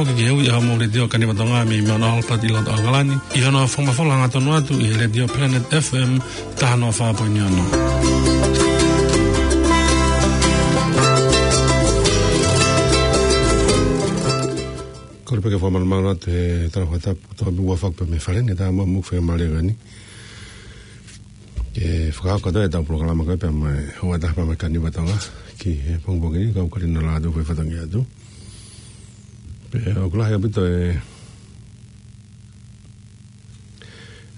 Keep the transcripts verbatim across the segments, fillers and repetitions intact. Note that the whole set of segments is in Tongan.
Ko e kiʻi ui ʻa e Letiō Kaniva Tonga mei Mount Albert ʻi loto ʻAokalani, ʻi hono fakamafola hangatonu atu ʻi he Letiō Planet F M taha noa fā poini ono. Kole pē ke fakamalumalu atu he talafakatapu, toka pē ua faku pē mei fale ni, tā mo e moʻui fakamālie ko eni. Ke fakahoko atu ʻetau polokalama ko ē pea mo e houa ʻe taha pea mo e Kaniva Tonga ki he pongipongi ni, kau kali na la atu fai fatongia atu. Pea ʻoku lahi ʻaupito e,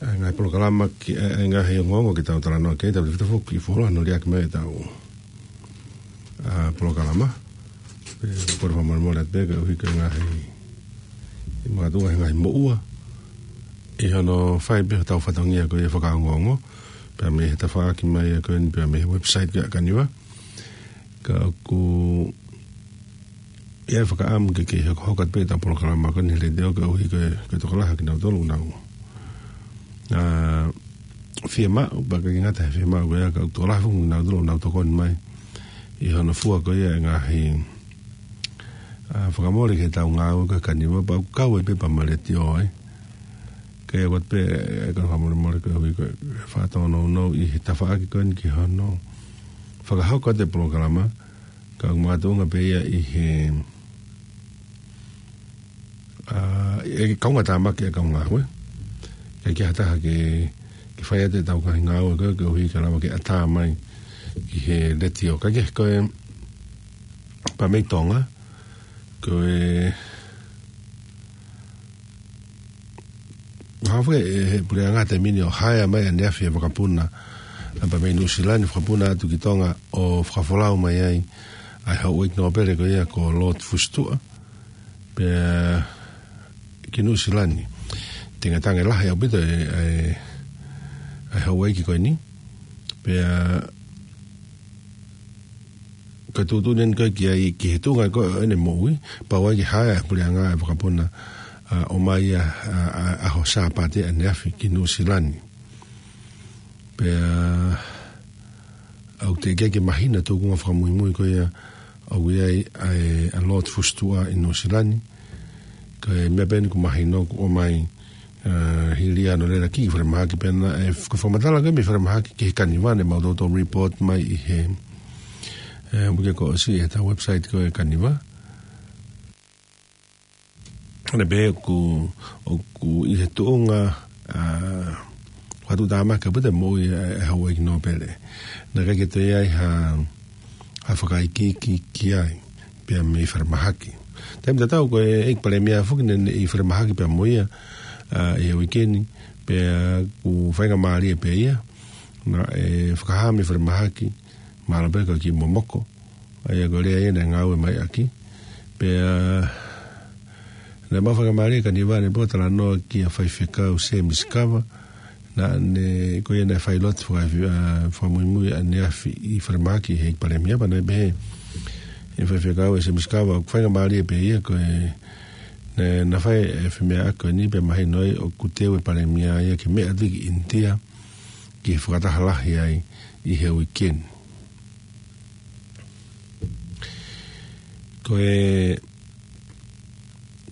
e ngaahi polokalama ki, e, e ngaahi ongoongo ke tau talanoa ki ai, tautefito foki ki he fuoloa hono liʻaki mai ʻetau, ʻa, polokalama. Pea kole fakamolemole atu pē koeʻuhi ko e ngaahi, ʻi he makatuʻunga he ngaahi moʻua ʻi hono fai pē hotau fatongia ko ia fakaongoongo, pea mei he tafaʻaki mai ʻa ko eni, pea mei he website ko ia ʻa Kaniva. Ka ʻoku ʻi ai e fakaʻamu ke, ke hokohoko atu pē ʻetau polokalama ko eni he letiō koeʻuhi ko e, ko e tokolahi ʻa kinautolu ʻoku nau, ʻa, fiemaʻu, pea ʻikai ke ngata he fiemaʻu ko ia, ka ʻoku tokolahi foki kinautolu ʻoku nau tokoni mai ʻi hono fua ko ia e ngaahi, ʻa, fakamole ki heʻetau ngāue ko ē ʻa Kaniva, pea ʻoku kau ai pē pea mo e letiō ai. Ka ʻoku ʻoatu pē, ʻe, kole fakamolemole koeʻuhi ko e faʻa tōnounou ʻi he tafaʻaki ko eni ki hono fakahoko atu e polokalama, ka ʻoku makatuʻunga pē ia ʻi he, ʻa, ʻe kaungātāmaki e kau ngāue. ʻIkai ke ʻi ai ha taha ke, ke fai atu ʻetau ngaahi ngāue ko ē koeʻuhi ke lava ke ʻatā mai ki he letiō. Ka ke ko e pea mei Tonga, ko e hanga foki ʻe he puleʻanga he taimi ni ʻo haea mai ʻaneafi e vakapuna, ʻa, pea mei Nuʻusila ni, fakapuna atu ki Tonga ʻo fakafolau mai ai ʻa e houʻeiki nōpele ko ia ko Lord Fusitua, pea ki Nuʻusila ni. Tengatange lahi ʻaupito e, e, e houʻeiki ko eni. Pea ko e tuʻutuʻuni eni ko ē ki ai ki he tuʻunga ko ē ʻene moʻui, pau ai ke haea e puleʻanga e vakapuna, ʻa, ʻo ʻomai ʻa, ʻa, ʻa, ʻaho Sāpate ʻaneafi ki Nuʻusila ni. Pea ʻoku teʻeki ke mahino e tūkunga fakamuimui ko ia ʻoku ʻi ai ʻa e, ʻa Lord Fusitua ʻi Nuʻusila ni. Ko e meʻa pē eni ʻoku mahino kuo ʻomai, ʻa, hili ia hono lele ki falemahaki pea naʻe, ko e fakamatala ko ē mei falemahaki ki he Kaniva naʻa mau toutou report mai ʻi he, e, uike kuo ʻosi ʻi heʻetau website ko ē Kaniva. Naʻe pehē ʻoku, ʻoku ʻi he tuʻunga, ʻa, fakatuʻutāmaki ʻaupito e moʻui e, e houʻeiki nōpele. Naʻe ʻikai ke toe ʻi ai ha, ha fakaikiiki ki ai, pea mei falemahaki. Taimi tatau ko e ʻEiki Palēmia foki naʻe, naʻe ʻi falemahaki pea mo ia, ʻa, ʻi he uike ni, pea ʻoku faingamālie pē ia, naʻe fakahā mei falemahaki, mahalo pē ko e kiʻi momoko, ʻa ia ko e lea ia naʻe ngāue mai ʻaki. Pea naʻe maʻu faingamālie ʻa Kaniva ʻanepō ʻo talanoa kia Faifekau Sēmisi Kava, naʻa ne, ko ia naʻe fai lotu faka-, ʻa, fakamuimui ʻaneafi ʻi falemahaki he ʻEiki Palēmia, pea naʻe pehē ʻe Faifekau ʻe Sēmisi Kava, ʻoku faingamālie pē ia ko e, naʻe, naʻe fai e femeʻaʻaki ko eni pea mahino ai ʻoku teu e Palēmia ia ke meʻa atu ki ʻInitia, ki he fakataha lahi ai ʻi he uike ni. Ko e,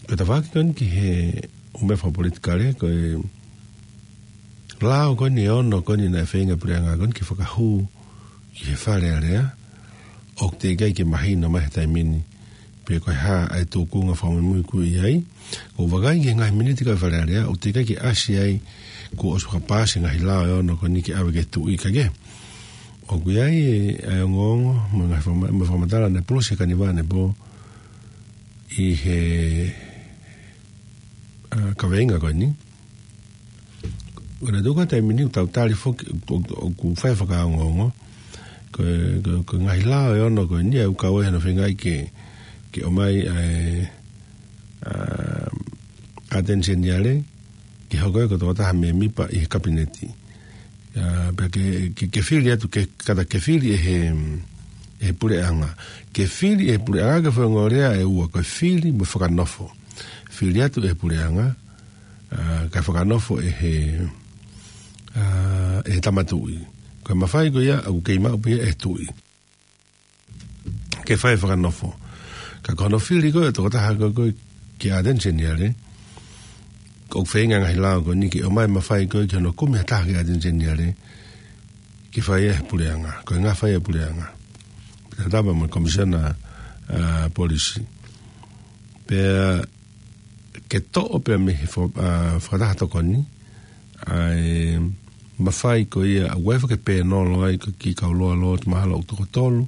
ko e tafaʻaki ko eni ki he ʻū meʻa fakapolitikale, ko e lao ko eni ʻe ono ko eni naʻe feinga e puleʻanga ko eni ke fakahū ki he Fale Alea, ʻoku teʻeki ai ke mahino mai he taimi ni pe ko e hā ʻa e tūkunga fakamuimui ʻoku ʻi ai. ʻOku ou vakai ki he ngaahi miniti ko ē ʻa e Fale Alea, ʻoku teʻeki ai ke ʻasi ai kuo ʻosi fakapaasi e ngaahi lao ʻe ono ko eni ke ʻave ki he Tuʻi, ka ke ʻoku ʻi ai e, e ongoongo mo e ngaahi fakama-, mo e fakamatala naʻe pulusi ʻe Kaniva ʻanepō ʻi he, ʻa, kaveinga ko eni. ʻOku na tuku atu e miniti ʻo tau tali foki, ʻo, ʻo, ʻoku fai fakaongoongo. Ko e, ko e, ko e ngaahi lao ʻe ono ko eni ʻoku kau ai hono feingaʻi ke, ke ʻomai ʻa e, ʻa, ʻAteni Seniale ke hoko ia ko e tokotaha mēmipa ʻi he Kapineti. ʻA, pea ke, ke, ke fili atu, ke, kātaki ke fili ʻe he, ʻe he puleʻanga. Ke fili ʻe he puleʻanga, ko e faʻahinga lea ʻe ua, ko e fili mo e fakanofo. Fili atu ʻe he puleʻanga, ʻa, kae fakanofo ʻe he, ʻa, ʻe he Tama Tuʻi. Ko e mafai ko ia ʻoku kei maʻu pē ia ʻe he Tuʻi ke fai e fakanofo. Ka ko hono fili ko ē e tokotaha ko ē, ko ē ki he ʻAteni Seniale, ʻoku feinga e ngaahi lao ko eni ke ʻomai e mafai ko ē ki hono kumi ha taha ki he ʻAteni Seniale, ke fai ʻe he puleʻanga, ko e ngaahi fai ʻe he puleʻanga. Pea tatau pē mo e Komisiona, ʻa, Polisi. Pea ke toʻo pē mei he fo-, ʻa, fakataha tokoni, ʻa e mafai ko ia ʻoku ʻi ai e foʻi pēnolo ai ki he kau Lower Lords mahalo ʻoku toko tolu,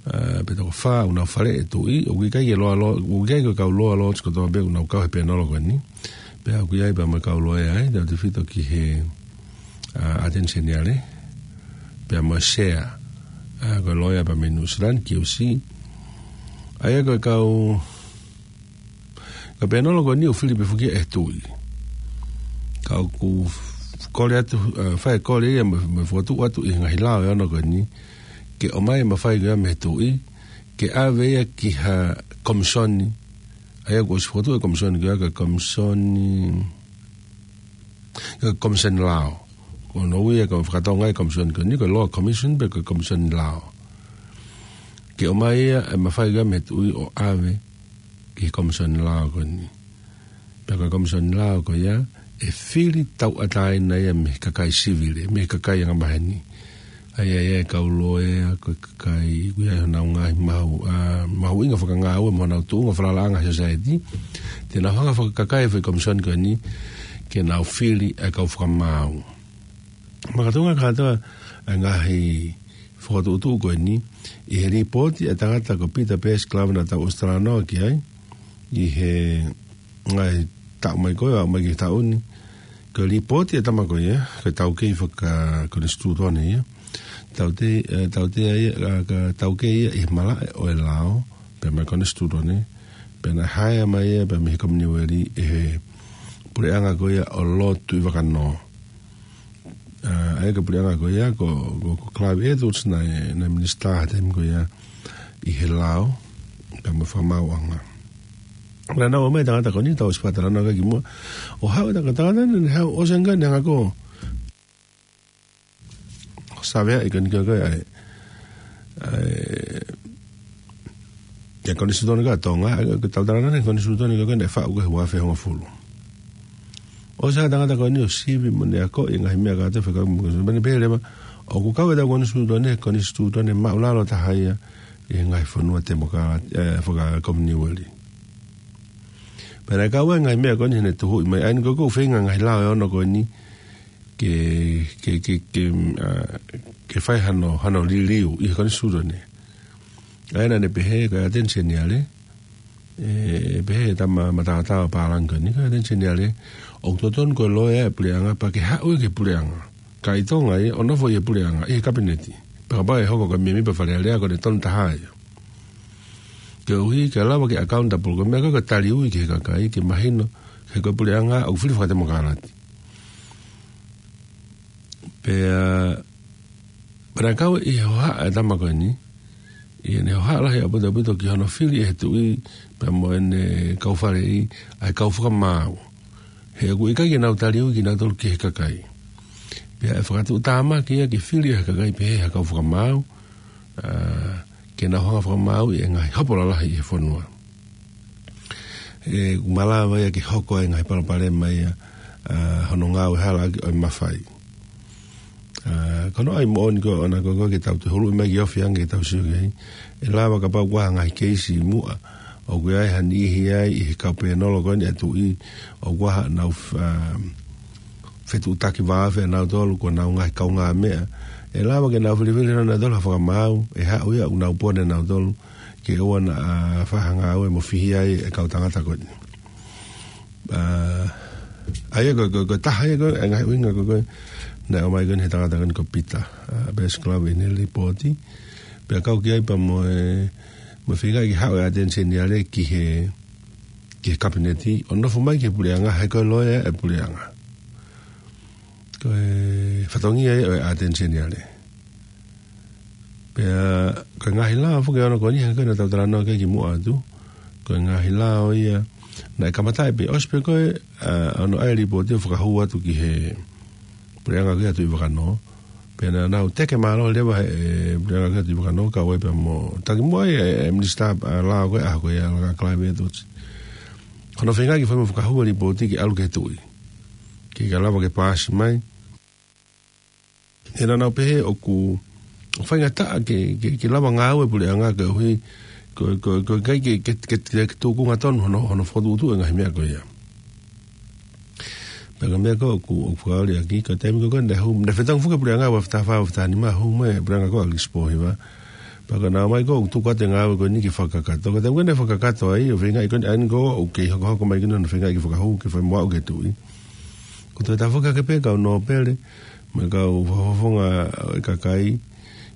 ʻa, pe toko fā, ʻoku nau faleʻi e tuʻi, ʻoku ʻikai ke Lower Lord, ʻoku ʻikai ko e kau Lower Lords kotoa pē ʻoku nau kau he pēnolo ko eni. Pea ʻoku ʻi ai pē mo e kau loea ai, tautefito ki he, ʻa, ʻAteni Seniale, pea mo e sea, ʻa, ko e loea pē mei Nuʻu Sila ni, Q C. ʻA ia ko e kau, ko e pēnolo ko eni ʻoku fili pē foki ia ʻe he tuʻi. Ka ʻoku kole atu, ʻa, fai e kole ia mo, mo fokotuʻu atu ʻi he ngaahi lao ʻe ono ko eni, ke ʻomai e mafai ko ia mei he tuʻi, ke ʻave ia ki ha komisoni, ʻa ia kuo ʻosi fokotuʻu e komisoni ko ia ko e Komisoni, ko e Komisoni Lao. Ko hono ui ia ko e faka-Tonga e komisoni ko eni, ko e Law Commission pe ko e Komisoni Lao. Ke ʻomai ia e mafai ko ia mei he tuʻi ʻo ʻave ki he Komisoni Lao ko eni. Pea ko e Komisoni Lao ko ia, ʻe fili tauʻatāina ia mei he kakai sivile, mei he kakai angamaheni. ʻA ia, ʻa ia e kau loea, ko e kakai, ʻoku ʻi ai honau ngaahi mahu-, ʻa, mahuʻinga fakangāue mo honau tuʻunga falalaʻanga he sōsaieti. Te nau hanga ʻo fakakakai e foʻi komisoni ko eni, ke nau fili e kau fakamaau. Makatuʻunga kātoa e ngaahi fokotuʻutuʻu ko eni, ʻi he lipooti e tangata ko Peter Bears Glover naʻa tau ʻosi talanoa ki ai, ʻi he ngaahi taʻu mai ko ē, ʻo aʻu mai ki he taʻu ni. Ko e lipooti e tama ko ia, ko e taukei fakakonisitūtone ia. Taute-, ʻe, tautea ia, ʻa, ka taukei ia ʻi he malaʻe ʻo e lao, pea mo e konisitūtone, pea naʻe haea mai ia, pea mei he Kominiueli ʻe he puleʻanga ko ia ʻo Lord Tuʻivakanō. ʻA, ʻa ia ko e puleʻanga ko ia, ko, ko, ko Clive Edwards naʻe, naʻe minisitā he taimi ko ia ʻi he lao, pea mo e fakamaauʻanga. Naʻa nau ʻomai e tangata ko eni, tau ʻosi fakatalanoa ki ai kimuʻa. ʻO haʻu e tangata, tangata ni, ne haʻu ʻo sengani hanga ko, ʻo saveaʻi ko eni ko e, ko e, ʻa e, ʻa e, ʻa e konisitūtone ko ē ʻa Tonga, ʻa e, ko e tau talanoa ki he konisitūtone ko ē naʻe faʻu ko ē he uaafe hongofulu. ʻOsi haʻu e tangata ko eni ʻo sivi mo ne akoʻi e ngaahi meʻa kātoa fekauʻaki mo e konisitūtone. Pea ne pehē leva, ʻoku kau ʻetau konisitūtone, konisitūtone māʻulalo taha ia ʻi he ngaahi fonua temokālati, ʻe, fakakominiueli. Pea naʻe kau ai e ngaahi meʻa ko eni heʻene tuhuʻi mai, ʻa eni ko ē ʻoku feinga e ngaahi lao ʻe ono ko eni, ke, ke, ke, ke, ʻa, ke fai hano, hano liliu ʻi he konisitūtone. ʻA ia naʻa ne pehē ko e ʻAteni Seniale, ʻe, pehē e tama mataotao pālangi ko eni, ko e ʻAteni Seniale, ʻoku totonu ko e loea e puleʻanga pea ke haʻu ia ki he puleʻanga. Kae ʻi Tonga ia, ʻo nofo ʻi he puleʻanga, ʻi he kapineti. Pea kapau ʻe hoko ko e mēmipa Fale Alea ko ʻene tonu taha ia. Koeʻuhi ke lava ke accountable, ko e meʻa ko ē ko e taliui ki he kakai, ke mahino, he ko e puleʻanga ʻoku fili fakatemokālati. Pea, pea naʻe kau ʻi he hohaʻa e tama ko eni, ʻi heʻene hohaʻa lahi ʻaupito ʻaupito ki hono fili ʻe he tuʻi, pea mo ʻene kau faleʻi, ʻa e kau fakamaau. He ʻoku ʻikai ke nau taliui kinautolu ki he kakai. Pea ʻe fakatuʻutāmaki ia ke fili ʻe he kakai pehē ha kau fakamaau, ʻa, ke nau hanga ʻo fakamaauʻi e ngaahi hopo lalahi ʻi he fonua. ʻE, ʻoku malava ia ke hoko ai e ngaahi palopalema ia, ʻa, hono ngāue halaʻaki ʻo e mafai. ʻA, ko hono ʻai moʻoni ko ē ʻoʻona ko ē ke tau toe huluʻi mai ke ofi ange ke tau sio ki ai. ʻE lava kapau ʻoku ʻi ai ha ngaahi keisi ʻi muʻa, ʻoku ʻi ai ha niʻihi ai ʻi he kau pēnolo ko eni ʻa e tuʻi, ʻoku ʻi ai haʻanau, ʻa, fetuʻutaki vāofi ʻanautolu, ko honau ngaahi kaungāmeʻa. ʻE lava ke nau filifili nautolu ha fakamaau, ʻe haʻu ia ʻoku nau pone nautolu, ke ʻoua naʻa, ʻa, fai ha ngāue mo fihia ai e kau tangata ko eni. ʻA, ʻa ia ko, ko, ko e taha ia ko e ngaahi ʻuhinga ko ē, naʻe ʻomai ko eni he tangata ko eni ko Peter, ʻa, Bears Glover ʻi heʻene lipooti. Pea kau ki ai pea mo e, mo e feinga ke haʻu e ʻAteni Seniale ki he, ki he kapineti, ʻo nofo mai ki he puleʻanga, he ko e loea e puleʻanga. Ko e fatongia ia ʻo e ʻAteni Seniale. Pea, ko e ngaahi lao foki ʻe ono ko eni, hangē ko e naʻa tau talanoa ki ai kimuʻa atu. Ko e ngaahi lao ia, naʻe kamataʻi pē, ʻosi pē ko ē, ʻa, hono ʻai e lipooti ʻo fakahū atu ki he puleʻanga ko ia ʻa Tuʻivakanō. Pea naʻa nau teke mālohi leva he, ʻe, puleʻanga ko ia ʻa Tuʻivakanō, kau ai pea mo, taki muʻa ai e, e minisitā, ʻa, lao ko ē, ʻa, ko ia, ʻa Clive Edwards. Ko hono feingaʻi ke fai mo fakahū e lipooti ke ʻalu ki he tuʻi, ke ka lava ke paasi mai. He naʻa nau pehē ʻoku faingataʻa ke, ke, ke lava ngāue e puleʻanga koeʻuhi ko, ko, ko e ʻikai ke, ke, ke, ke tūkunga tonu hono, hono fokotuʻutuʻu e ngaahi meʻa ko ia. Pea ko e meʻa ko ē ʻoku, ʻoku fakaoli ʻaki, ko e taimi ko ē naʻe hū, naʻe fetongi foki e puleʻanga ua afe taha fā, ua afe taha nima, hū mai e puleʻanga ko ē ʻAkilisi Pōhiva. Pea ko e naʻa ʻomai ko ē ʻoku tuku atu e ngāue ko eni ke fakakakato. Ko e taimi ko ē naʻe fakakakato ai, ʻo feingaʻi ko eni, ʻa eni ko ē ʻoku kei hokohoko mai ko eni hono feingaʻi ke fakahū, ke fai mo aʻu ki he tuʻi. Ko e toe tafoki hake pē kau nōpele, mo e kau fakafofonga ʻo e kakai,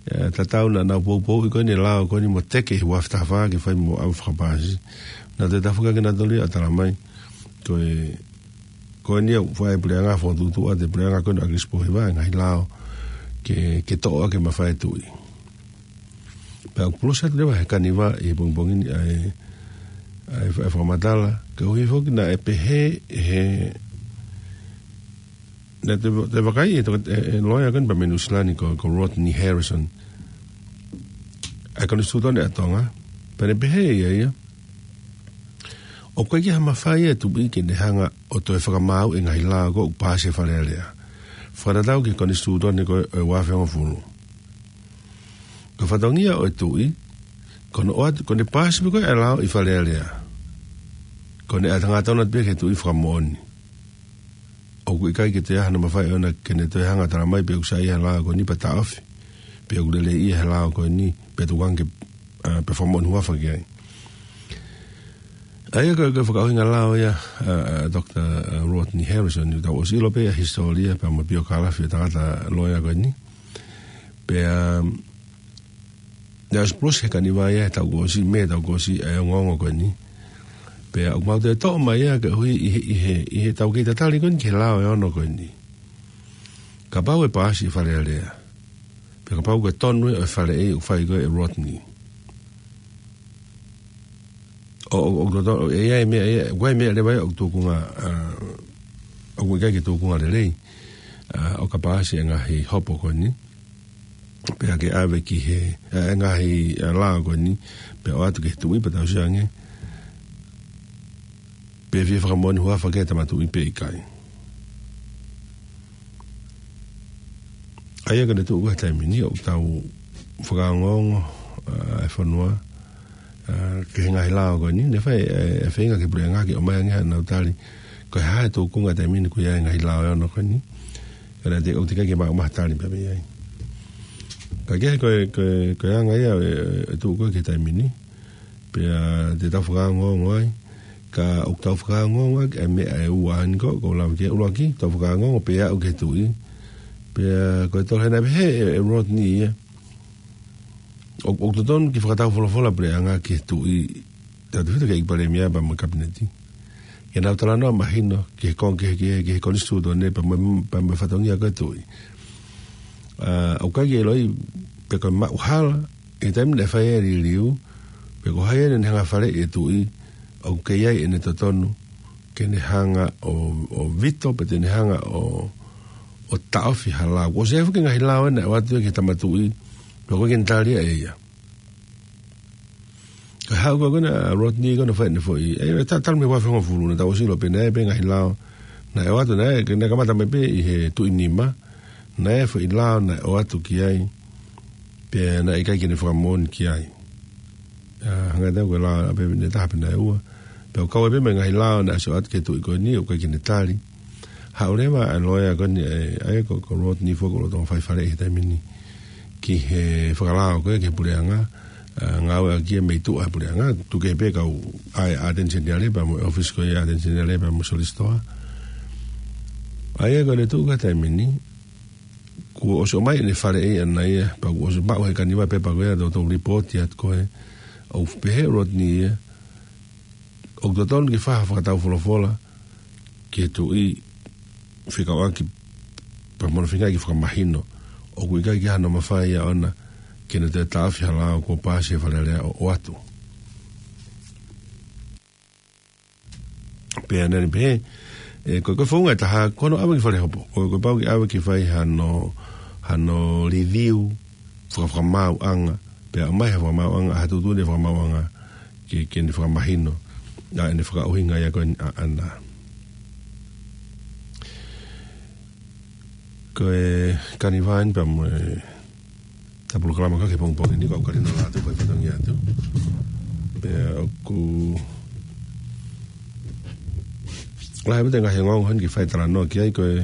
ʻa, tatau naʻa nau poupouʻi ko eni e lao ko eni mo teke he ua afe taha fā ke fai mo aʻu fakapaasi. Naʻa toe tafoki hake nautolu ia ʻo talamai, ko e, ko eni ʻoku fai e puleʻanga fokotuʻutuʻu atu e puleʻanga ko eni ʻAkilisi Pōhiva e ngaahi lao ke, ke toʻo ʻaki e mafai e tuʻi. Pea ʻoku pulusi atu leva he kaniva ʻi he pongipongi ni ʻa e, ʻa e fa-, fakamatala, koeʻuhi foki naʻe pehē he, naʻe toe, toe vakai ʻe he toka-, e, e loea ko eni pea mei Nuʻu Sila ni ko, ko Rodney Harrison, ʻa e konisitūtone ʻa Tonga, pea ne pehē ʻe ia, ʻoku ʻikai ke ʻi ai ha mafai ʻa e tuʻi ke ne hanga ʻo toe fakamaau e ngaahi lao ko ē ʻoku paasi ʻe he Fale Alea, fakatatau ki he konisitūtone ko ē ʻo e ua afe hongofulu. Ko e fatongia ʻo e tuʻi, ko hono ʻoatu, ko ʻene paasi pē ko ē e lao ʻi Fale Alea, ko ʻene ʻatangata atu pē ki he Tuʻi Fakamoʻoni. ʻOku ʻikai ke toe ʻi ai hano mafai ʻoʻona ke ne toe hanga ʻo talamai pe ʻoku saiʻia he lao ko eni pea taʻofi, pe ʻoku leleiʻia he lao ko eni pea tuku ange ke, ʻa, pea fakamoʻoni huafa ki ai. ʻA ia ko e, ko e fakaʻuhinga lao ia, ʻa, ʻa Doctor, ʻa, Rodney Harrison, ʻoku tau ʻosi ʻilo pē ʻa e hisitōlia pea mo e piokalafi ʻo e tangata loea ko eni. Pea, um, naʻe ʻosi pulusi he kaniva ia he taʻu kuo ʻosi, mei he taʻu kuo ʻosi ʻa e ongoongo ko eni. Pea ʻoku mau toe toʻo mai ia koeʻuhi ʻi he, ʻi he, ʻi heʻetau kei tatali ko eni ki he lao ʻe ono ko eni. Kapau ʻe paasi ʻe he Fale Alea, pea kapau ko e tonu ʻo e faleʻi ʻoku fai ko ē ʻe Rodney, ʻo, ʻo, ʻo, ʻoku totonu, ʻe ʻi ai e meʻa ia, ʻoku ʻi ai e meʻa leva ia ʻoku tūkunga, ʻa, ʻoku ʻikai ke tūkunga lelei, ʻa, ʻo ka paasi e ngaahi hopo ko eni, pea ke ʻave ki he, ʻa, e ngaahi, ʻa, lao ko eni, pea ʻoatu ki he tuʻi pea tauhi ange, pe ʻe fie fakamoʻoni huafa ki ai e tama tuʻi pe ʻikai. ʻA ia ko ʻene tuʻu ko ē he taimi ni ʻoku tau fakaongoongo, ʻa, e fonua, ʻa, ki he ngaahi lao ko eni, naʻe fai, ʻa, e feinga ki he puleʻanga ke ʻomai ange haʻanau tali, ko e hā e tūkunga he taimi ni ʻoku ʻi ai e ngaahi lao ʻe ono ko eni. Ka naʻe teʻeki, ʻoku teʻeki ai ke maʻu mai ha tali pē mei ai. Ka kehe ko e, ko e, ko e anga ia e, e tuʻu ko ē ki he taimi ni, pea te tau fakaongoongo ai, ka ʻoku tau fakaongoongo ʻaki e meʻa ʻe ua eni ko, ko e lave ki he ʻuluaki, tau fakaongoongo pea aʻu ki he tuʻi. Pea ko e tolu hena pehē ʻe, ʻe Rodney ia, ʻoku, ʻoku totonu ke fakatau folofola e puleʻanga ki he tuʻi, tautefito ki he ʻEiki Palēmia pea mo e Kapineti, ke nau talanoa mahino ki he kon-, ki he, ki he, ki he konisitūtone pea mo, pea mo e fatongia ko ē e tuʻi. ʻA, ʻoku ʻikai ke ʻiloʻi pe ko e maʻuhala ʻi he taimi naʻe fai ai e liliu, pe ko hai ʻene hanga ʻo faleʻi e tuʻi, ʻoku kei ʻi ai ʻene totonu ke ne hanga ʻo, ʻo veto, pe te ne hanga ʻo, ʻo taʻofi ha lao. Kuo ʻosi ʻi ai foki e ngaahi lao ʻe ua atu ki he tama tuʻi, pea ʻoku ʻikai ke ne tali ia ʻe ia. Ka haʻu ko ē ko ena ʻa Rodney ko ē ʻo fai ʻene foʻi, ʻe, ʻe ta-, talu mei he ua afe hongofulu naʻa tau ʻosi ʻilo pē naʻe ʻi ai pē ngaahi lao naʻe ʻoatu, naʻe, ke naʻe kamata mai pē ʻi he Tuʻi Nima, naʻe ʻi ai e foʻi lao naʻe ʻoatu ki ai, pea naʻe ʻikai ke ne fakamoʻoni ki ai. ʻA, hangē tofu ko e lao ʻa pē ne taha pe naʻe ua. Pea ʻoku kau ai pē mo e ngaahi lao naʻe ʻosi ʻoatu ki he tuʻi ko eni, ʻoku ʻikai ke ne tali. Haʻu leva ʻa e loea ko eni, ʻe, ʻa ia ko, ko Rodney foki ʻoku lolotonga fai faleʻi he taimi ni ki he fakalao ko ē ki he puleʻanga, ʻa, ngāueʻaki ia mei tuʻa he puleʻanga, tuku kehe pē kau ʻa e ʻAteni Seniale pea mo e ʻōfisi ko ia ʻa e ʻAteni Seniale pea mo e Solisitoa. ʻA ia ko ʻene tuʻu ko ē he taimi ni, kuo ʻosi ʻomai ʻene faleʻi ʻana ia, pea kuo ʻosi maʻu he kaniva e pepa ko ia, toutou lipooti atu ko ē, ʻoku pehē ʻe Rodney ia, ʻoku totonu ke fai ha fakatau folofola ki he tuʻi fekauʻaki pea mo hono feingaʻi ke fakamahino ʻoku ʻikai ke ʻi ai hano mafai ia ʻoʻona ke ne toe taʻofi ha lao kuo paasi ʻe he Fale Alea ʻo, ʻoatu. Pea naʻá ne pehē, ʻe, ko, ko e founga ʻe taha, ko hono ʻave ki fale hopo, ko, kuo pau ke ʻave ke fai hano, hano review, faka-, fakamaauʻanga, pea ʻomai ha fakamaauʻanga, ha tuʻutuʻuni fakamaauʻanga ke, ke ne fakamahino ʻa ʻene fakaʻuhinga ia ko eni ʻaʻana. Ko e Kaniva eni pea mo e polokalama ko ē ki he pongipongi ni, ko au Kalina Lātū, ko e fatongia atu. Pea ʻoku lahi ʻaupito e ngaahi ongoongo heni ke fai talanoa ki ai, ko e,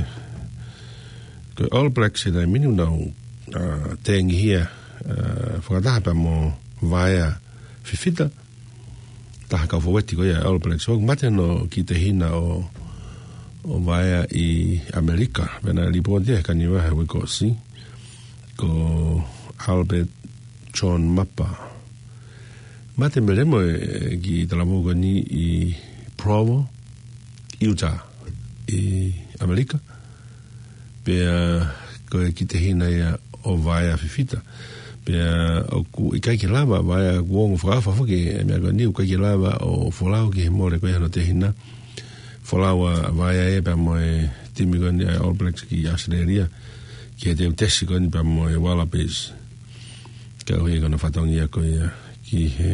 ko e All Blacks he taimi ni ʻoku nau, ā, tengihia, ā, fakataha pea mo Vaea Fifita, taha kau fōueti ko ia ʻa e All Blacks. ʻOku mate hono kiʻi tehina ʻo, ʻo Vaea ʻi ʻAmelika. Pea naʻe lipooti ia he Kaniva he uike kuo ʻosi, ko Albert John Mapa. Mate Melemo e kiʻi talavou ko eni ʻi Provo, Utah, ʻi ʻAmelika. Pea ko e kiʻi tehina ia ʻo Vaea Fifita. Pea ʻoku ʻikai ke lava, Vaea kuo ongo fakaʻofoʻofa foki e meʻa ko eni, ʻoku ʻikai ke lava ʻo folau ki he mole ko ia hono tehina. Folau ʻa Vaea ia pea mo e timi ko eni ʻa e All Blacks ki ʻAositelēlia, ki he teuteu ko eni pea mo e Wallabies. Ka ʻoku ʻi ai hono fatongia ko ia ki he,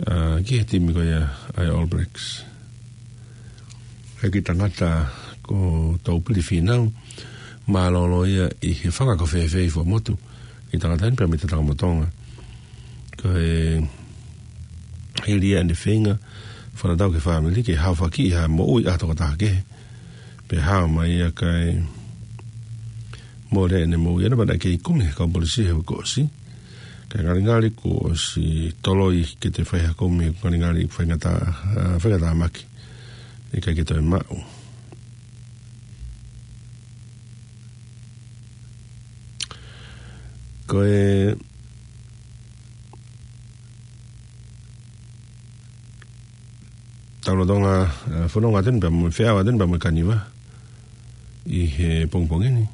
ā, ki he timi ko ia ʻa e All Blacks. He kiʻi tangata ko Taupili Fīnau, mālōlō ia ʻi he fanga ko fēfē ʻi fuamotu, kiʻi tangata eni pea mei Tatakamotonga. Ko e hili ia ʻene feinga fakatatau ki he fāmili ke haofaki ʻi ha moʻui ʻa e tokotaha kehe. Pea hao mai ia kae mole ʻene moʻui ʻana pea naʻe kei kumi he kau polisi he uike kuo ʻosi. Kae ngalingali kuo ʻosi toloi ke toe fai ha kumi, ngalingali faingataʻa, ā, faingataʻa maki. ʻIkai ke toe maʻu. Ko e tau lolotonga, ā, fononga atu eni pea mo e feʻao atu eni pea mo e Kaniva ʻi he pongipongi ni.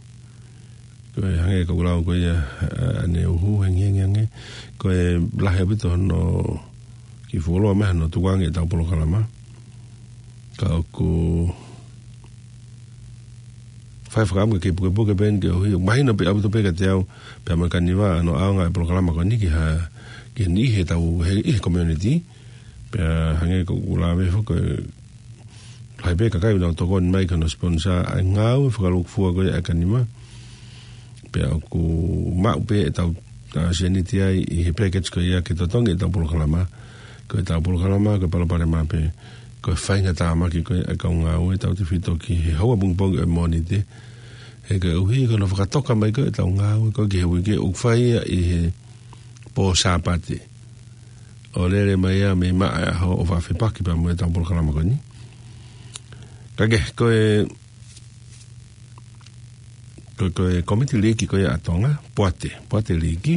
Ko e hangē ko ʻeku lau ko ia, ā, ʻaneuhu hengihengi ange. Ko e lahi ʻaupito hono kiʻi fuoloa mai hono tukuange ʻetau polokalama. Ka ʻoku fai fakaʻamu ke pukepuke pē eni koeʻuhi ʻoku mahino pē ʻaupito pē kiate au pea mo e Kaniva hono ʻaonga e polokalama ko eni ki ha, ki he niʻihi ʻetau, he, ʻi he community. Pea hangē ko ʻeku lave foki, lahi pē kakai ʻoku nau tokoni mai ki hono sponsor ʻa e ngāue fakalūkufua ko ia ʻa e Kaniva. Pea ʻoku maʻu pē ʻetau, ā, sēniti ai ʻi he package ko ia ke totongi ʻetau polokalama. Ko ʻetau polokalama, ko e palopalema pē, ko e faingataʻa maki ko ia ʻa e kau ngāue tautefito ki he houa pongipongi ʻo e Mōnite. He koeʻuhi ko hono fakatoka mai ko ia ʻetau ngāue ko ia ki he uike, ʻoku fai ia ʻi he pō Sāpate. ʻO lele mai ia mei maʻa e ʻaho ʻo fakafepaki pea mo ʻetau polokalama ko eni. Ka ke, ko e, ko, ko e kōmiti liiki ko ia ʻa Tonga, Poate, Poate Liiki.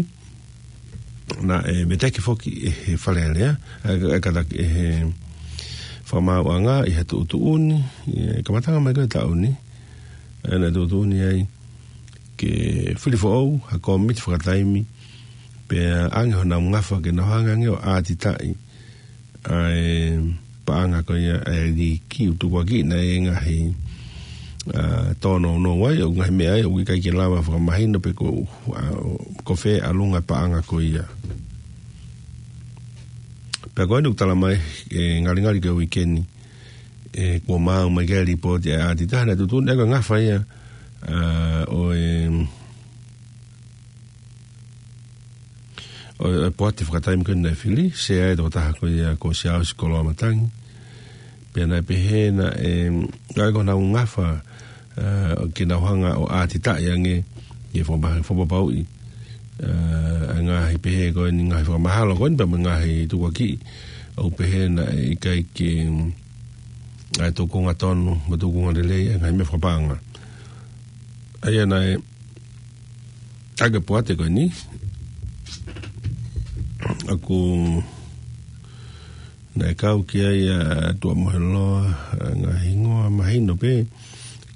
Naʻe veteki foki ʻe he Fale Alea, ē, ē, kātaki ʻe he Fakamaauʻanga ʻi he tuʻutuʻuni, ʻi he kamataʻanga mai ko ia ʻo e taʻu ni. Ē, naʻe tuʻutuʻuni ai ke fili foʻou ha kōmiti fakataimi, pea ʻoange honau ngafa ke nau hanga ange ʻo ʻātitaʻi ʻa e paʻanga ko ia ʻa e liiki ʻoku tukuakiʻi ʻe he ngaahi, ā, tōnounou ai, ʻo ngaahi meʻa ai, ʻoku ʻikai ke lava fakamahino pe ko, ā, ko fē ʻalunga paʻanga ko ia. Pea ko eni ʻoku tala mai, ē, ngalingali ki he uike ni, ē, kuo maau mai ki ai e lipooti ʻa e ʻātitaha, naʻe tuʻutuʻuni ʻa e ngafa ia, ā, ʻo e, ʻo e, ʻo e Poate fakataimi ko eni naʻe fili, sea ai e tokotaha ko ia ko Siaosi Koloamatangi. Pea naʻe pehē naʻe, ē, ʻoange honau ngafa, ā, ke nau hanga ʻo ʻātitaʻi ange, ke fakapa-, fakapapauʻi, ā, ʻa e ngaahi pehē ko eni, ngaahi fakamahalo ko eni, pea mo e ngaahi tukuakiʻi, ʻoku pehē naʻe ʻikai ke, ʻa e tūkunga tonu, mo e tūkunga lelei, ʻa e ngaahi meʻa fakapaʻanga. ʻA ia naʻe, ʻa e Poate ko eni, ʻoku naʻe kau ki ai ʻa Tuʻamoheloa, ʻa e ngaahi hingoa mahino pē,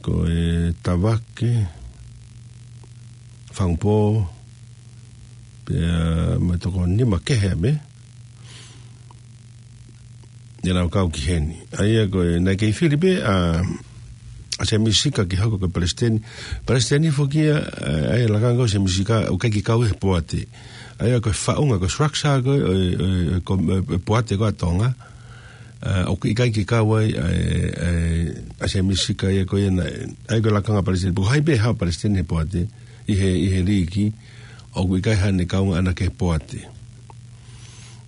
ko e Tavake, Fangupō, pea mo e toko nima kehe pē, ʻenau kau ki heni. ʻA ia ko e, naʻe kei fili pē ʻa, ʻa Sēmisi Sika ke hoko ko e palesiteni. Palesiteni foki ia, ʻa e lakanga ko Sēmisi Sika, ʻoku ʻikai ke kau he poate. ʻA ia ko e faʻunga, ko e structure ko e, ʻo e, ʻo e, ko e, ʻo e poate ko ē ʻa Tonga. ʻA, ʻoku ʻikai ke kau ai, ʻa e, ʻa e, ʻa Sēmisi Sika ia ko ia naʻe, ʻa ia ko e lakanga palesiteni. Pea ko hai pē haʻu palesiteni he poate, ʻi he, ʻi he liiki, ʻoku ʻikai haʻane kaunga ʻana ki he poate.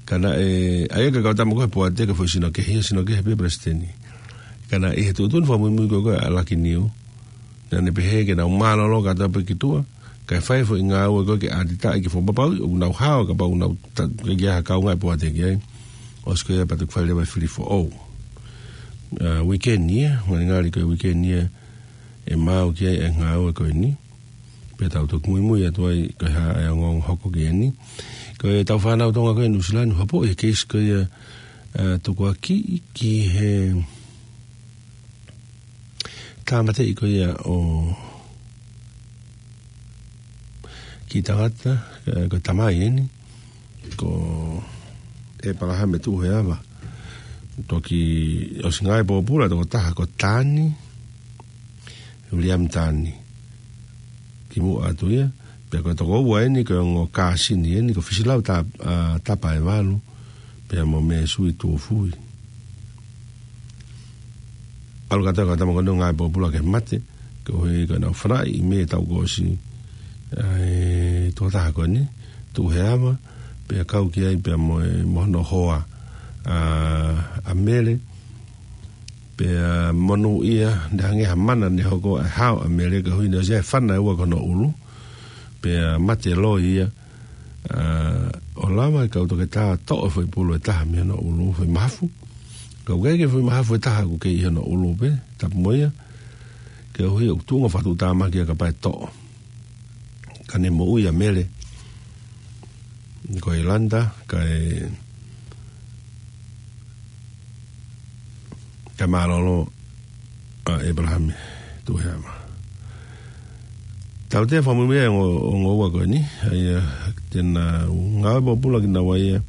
Ka naʻe, ʻa ia ko e kau tama ko ē he poate, ko e foʻi sino kehe, sino kehe pē palesiteni. Ka naʻe ʻi he tuʻutuʻuni fakamuimui ko ē ko ē ʻa Lucky Niu, naʻa ne pehē ke nau mālōlō kātoa pē ki tuʻa, kae fai e foʻi ngāue ko ē ke ʻatitaʻi ke fakapapauʻi ʻoku nau hao, kapau ʻoku nau ta-, ke ʻi ai ha kaunga ʻe poate ki ai. ʻOsi ko ia pea toki fai leva e fili foʻou. ʻA, uike ni ia, ngalingali ko e uike ni ia ʻe maau ki ai e ngāue ko eni. Pea tau toki muimui atu ai ko e hā e ongoongo hoko ki heni. Ko e tau fānau Tonga ko ē ʻi Nuʻusila ni, hopo e keisi ko ia, ʻa, tukuakiʻi ki he tāmateʻi ko ia ʻo e kiʻi tangata, ʻa, ko e tamai eni, ko ʻEpalahame Tuʻuheava. Toki ʻosi ngāue pōpula e tokotaha ko Tani, William Tani. Kimuʻa atu ia, pea ko e tokoua eni, ko e ongo kāsini eni, ko Fisilau Ta-, ʻa, Tapaevalu, pea mo Mēsui Tuʻufui. ʻAlu kātoa e kau tama ko eni ʻo ngāue pōpula ke mate, koeʻuhi ko ʻenau fanaʻi ʻi Mē taʻu kuo ʻosi, ʻa e tokotaha ko eni, Tuʻuheava, pea kau ki ai pea mo e, mo hono hoa, ʻa, ʻa Mele, pea monūʻia, naʻe hangē ha mana naʻe hoko ʻa e hao ʻa Mele koeʻuhi naʻe ʻosi ʻi ai e fana ʻe ua ki hono ʻulu, pea mate loi ia, ʻa, ʻo lava e kau toketā ʻo toʻo e foʻi pulu ʻe taha mei hono ʻulu, foʻi mahafu. Ka ʻoku ʻikai ke foʻi mahafu ʻe taha ʻoku kei ʻi hono ʻulu pē, tapu mo ia, koeʻuhi ʻoku tuʻunga fakatuʻutāmaki ia kapau ʻe toʻo. Ka ne moʻui ʻa Mele, ko ʻIolanda, kae, kae mālōlō ʻa ʻEpalahame Tuʻuheava. Tautea fakamuimui e ongo, ongo ua ko eni, ʻa ia te nau ngāue pōpula kinaua ia,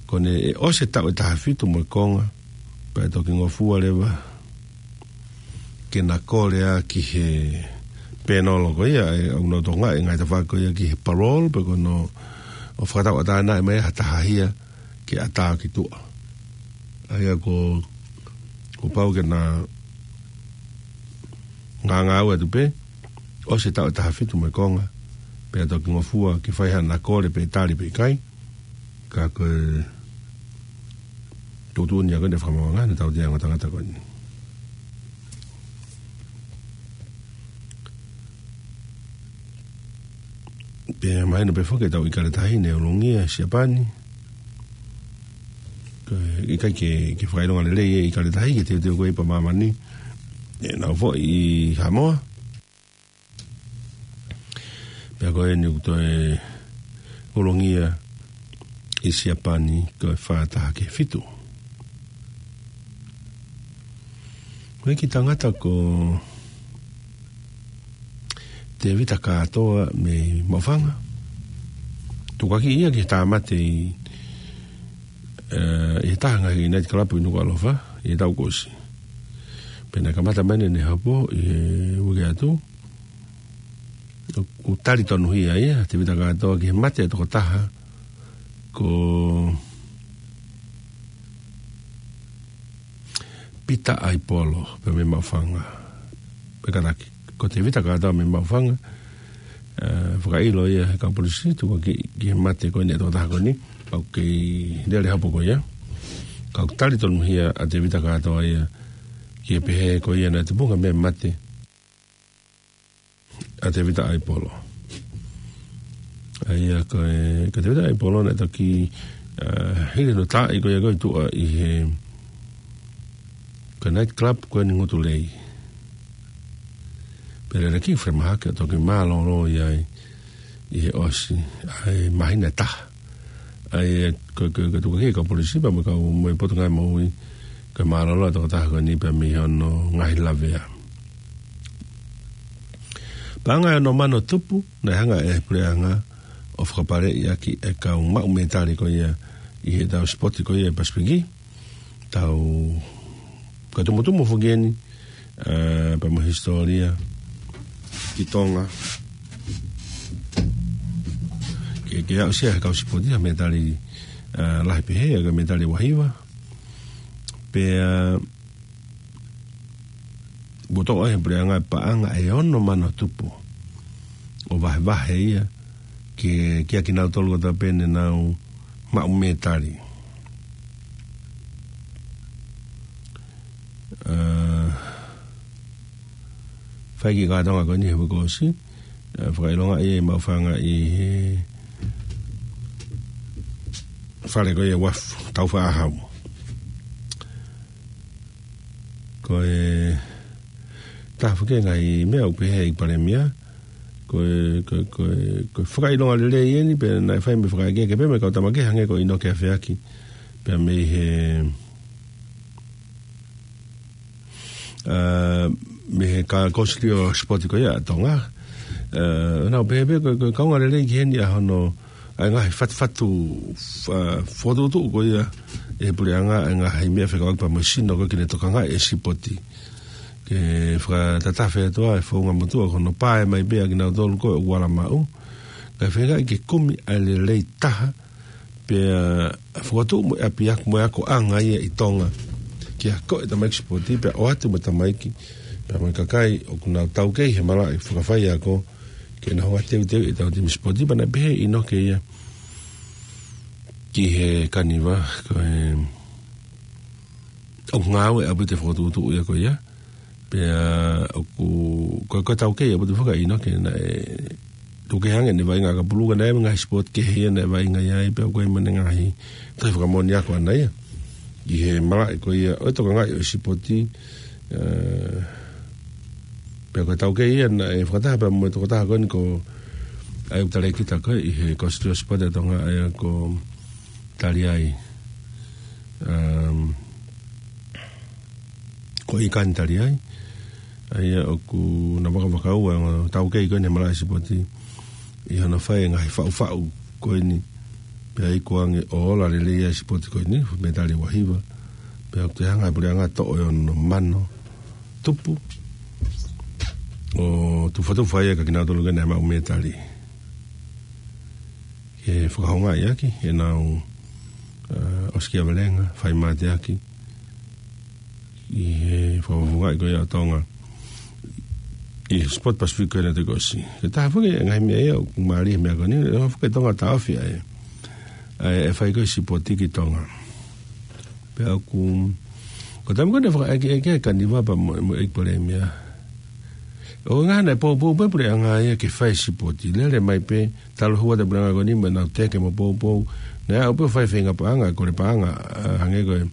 ko ʻene ʻosi e taʻu ʻe taha fitu mo e konga, pea toki ngofua leva ke na kole ʻa ki he pēnolo ko ia, ʻa ia ʻoku nau tokangaʻi e ngaahi tafaʻaki ko ia ki he parole, pe ko hono ʻo fakatauʻatāinaʻi mai ha taha hia ke ʻatā ki tuʻa. ʻA ia ko, kuo pau ke na ngāngāue atu pē, ʻosi e taʻu ʻe taha fitu mo e konga, pea toki ngofua ke fai haʻana kole pe tali pe ʻikai, ka ko e tuʻutuʻuni ia ko eni ʻa e fakamaauʻanga, naʻe tautea e ongo tangata ko eni. Pea mahino pē foki ʻetau ʻIkale Tahi naʻe ʻulungia ʻe Siapani. Ko e ʻikai ke, ke fakaʻilonga lelei e ʻIkale Tahi ke teuteu ko ē ʻi māmani, ʻenau foʻi ʻi Haʻamoa. Pea ko eni ʻoku toe ʻulungia ʻi Siapani ko e fā taha ki he fitu. Ko e kiʻi tangata ko Tevita Kātoa mei Maʻufanga. Tukuakiʻi ia ke tāmate ʻi, ʻe, ʻi he taha e ngaahi night club ʻi Nukuʻalofa, ʻi he taʻu kuo ʻosi. Pea naʻe kamata mai ʻene hopo ʻi he uike atu. ʻOku tali tonuhia ia, Tevita Kātoa, ki he mate e tokotaha ko Pita ʻAipolo, pea mei Maʻufanga. Pea kātaki, ko Tevita Kātoa mei Maʻufanga, ʻe, fakaʻilo ia ʻe he kau polisi, tukuakiʻi ki he mate ko eni e tokotaha ko eni, ʻoku kei lele e hopo ko ia. Ka ʻoku tali tonuhia ʻa Tevita Kātoa ia, ki he pehē ko ia naʻe tupunga mei he mate ʻa Tevita ʻAipolo. ʻA ia ko e, ko Tevita ʻAipolo naʻe toki, ʻa, hili hono taaʻi ko ia ko ē ʻi tuʻa ʻi he, ko e night club ko eni Ngutu Lei. Pea lele ki falemahaki ʻo toki mālōlō ia ʻi, ʻi he ʻosi, ʻa e māhina ʻe taha. ʻA ia ko, ko, ko e tukuakiʻi e kau polisi pea mo e kau, mo e Potungāue Moʻui, ko e mālōlō e tokotaha ko eni pea mei hono ngaahi lavea. Paʻanga ʻe ono mano tupu, naʻe hanga ʻe he puleʻanga ʻo fakapaleʻi ʻaki e kau maʻu mētali ko ia ʻi heʻetau sipoti ko ia ʻi Pasifiki. Tau, ko e tumutumu foki eni, ʻa, pea mo e hisitōlia ki Tonga. Ke, ke aʻusia he kau sipoti ha mētali, ʻa, lahi pehē, ʻa e mētali ua hiva. Pea, ʻa, ʻoku toʻo ʻe he puleʻanga e paʻanga ʻe ono mano tupu. ʻO vahevahe ia ke, kiate kinautolu kotoa pē ne nau maʻu mētali. ʻA, fai ki he kātoanga ko eni he uike kuo ʻosi, ʻa, fakaʻilongaʻi ʻe maʻu fanga ʻi he fale ko ia Wafu, Taufaʻāhau. Ko e taha foki e ngaahi meʻa ʻoku pehē ʻe he Palēmia, ko e, ko e, ko e, ko e fakaʻilonga lelei eni, pea naʻe fai mo e fakaʻekeʻeke pē mo e kau tama kehe hangē ko ʻInoke Afeaki, pea mei he, ʻa, mei he ka-, Kōsilio Sipoti ko ia ʻa Tonga. ʻA, naʻa ku pehē pē ko e, ko e kaunga lelei ki heni ʻa hono, ʻa e ngaahi fatufatu, fa-, fokotuʻutuʻu ko ia ʻe he puleʻanga, ʻa e ngaahi meʻa fekauʻaki pea mo e sino ko ē ke ne tokangaʻi e sipoti. Ke fakatatafe atu ʻa e founga motuʻa ko hono pae mai pē ʻa kinautolu ko ē ʻoku ala maʻu. Kae feinga ke kumi ʻa e lelei taha, pea fokotuʻu mo e ʻapiako mo e akoʻanga ia ʻi Tonga. Ke akoʻi e tamaiki sipoti, pea ʻoatu mo e tamaiki, pea mo e kakai ʻoku nau taukei he malaʻe fakafaiako, ke nau hanga ʻo teuteuʻi ʻetau timi sipoti, pea naʻe pehē ʻe ʻInoke ia ki he Kaniva, ko e ʻoku ngāue ʻaupito e fokotuʻutuʻu ia ko ia. Pea ʻoku, ko, ko e taukei ʻaupito foki ʻa ʻInoke naʻe tuku hake ʻene vaʻinga ʻakapulu ka naʻe ʻi ai mo e ngaahi sipoti kehe ia naʻe vaʻinga ai pea ʻoku ʻi ai mo ʻene ngaahi tohi fakamoʻoni ako ʻaʻana ia ʻi he malaʻe ko ia ʻo e tokangaʻi ʻo e sipoti, ʻa, pea ko e taukei ia naʻe fakataha pea mo e tokotaha ko eni ko ʻAiu Talekita ko ē ʻi he Kōsilio Sipoti ʻa Tonga ʻa ia ko Taliai. Um, ko ʻIkani Taliai. ʻA ia ʻoku na vakavakau ʻa e ongo taukei ko eni he malaʻe sipoti ʻi hono fai e ngaahi faʻufaʻu ko eni. Pea ʻi ko ange ʻo ola lelei ʻa e sipoti ko eni, mētali ua hiva. Pea ʻoku toe hanga ʻe he puleʻanga ʻo toʻo e ono mano tupu ʻo tufatufa ia kiate kinautolu ko ē naʻe maʻu mētali. Ke fakahoungaʻi ʻaki ʻenau, ʻa, ʻosikiavelenga, fai mateaki ʻi he fakafofongaʻi ko ia ʻo Tonga ʻi he sipoti Pasifiki ko ē naʻe toki ʻosi. Ko e taha foki e ngaahi meʻa ia ʻoku mālie he meʻa ko eni, ʻoku foki e Tonga taʻofi ʻa e, ʻa e, ʻa e fai ko ē sipoti ki Tonga. Pea ʻoku, ko e taimi ko ē naʻe fakaʻekeʻeke ai Kaniva pea mo, mo e ʻEiki Palēmia, ʻoku ngaahi naʻe poupou pē puleʻanga ia ke fai sipoti. Lele mai pē, talu hua ʻa e puleʻanga ko eni mo ʻenau teke mo poupou. Naʻe aʻu pē ʻo fai feinga paʻanga, kole paʻanga, ʻa, hangē ko e,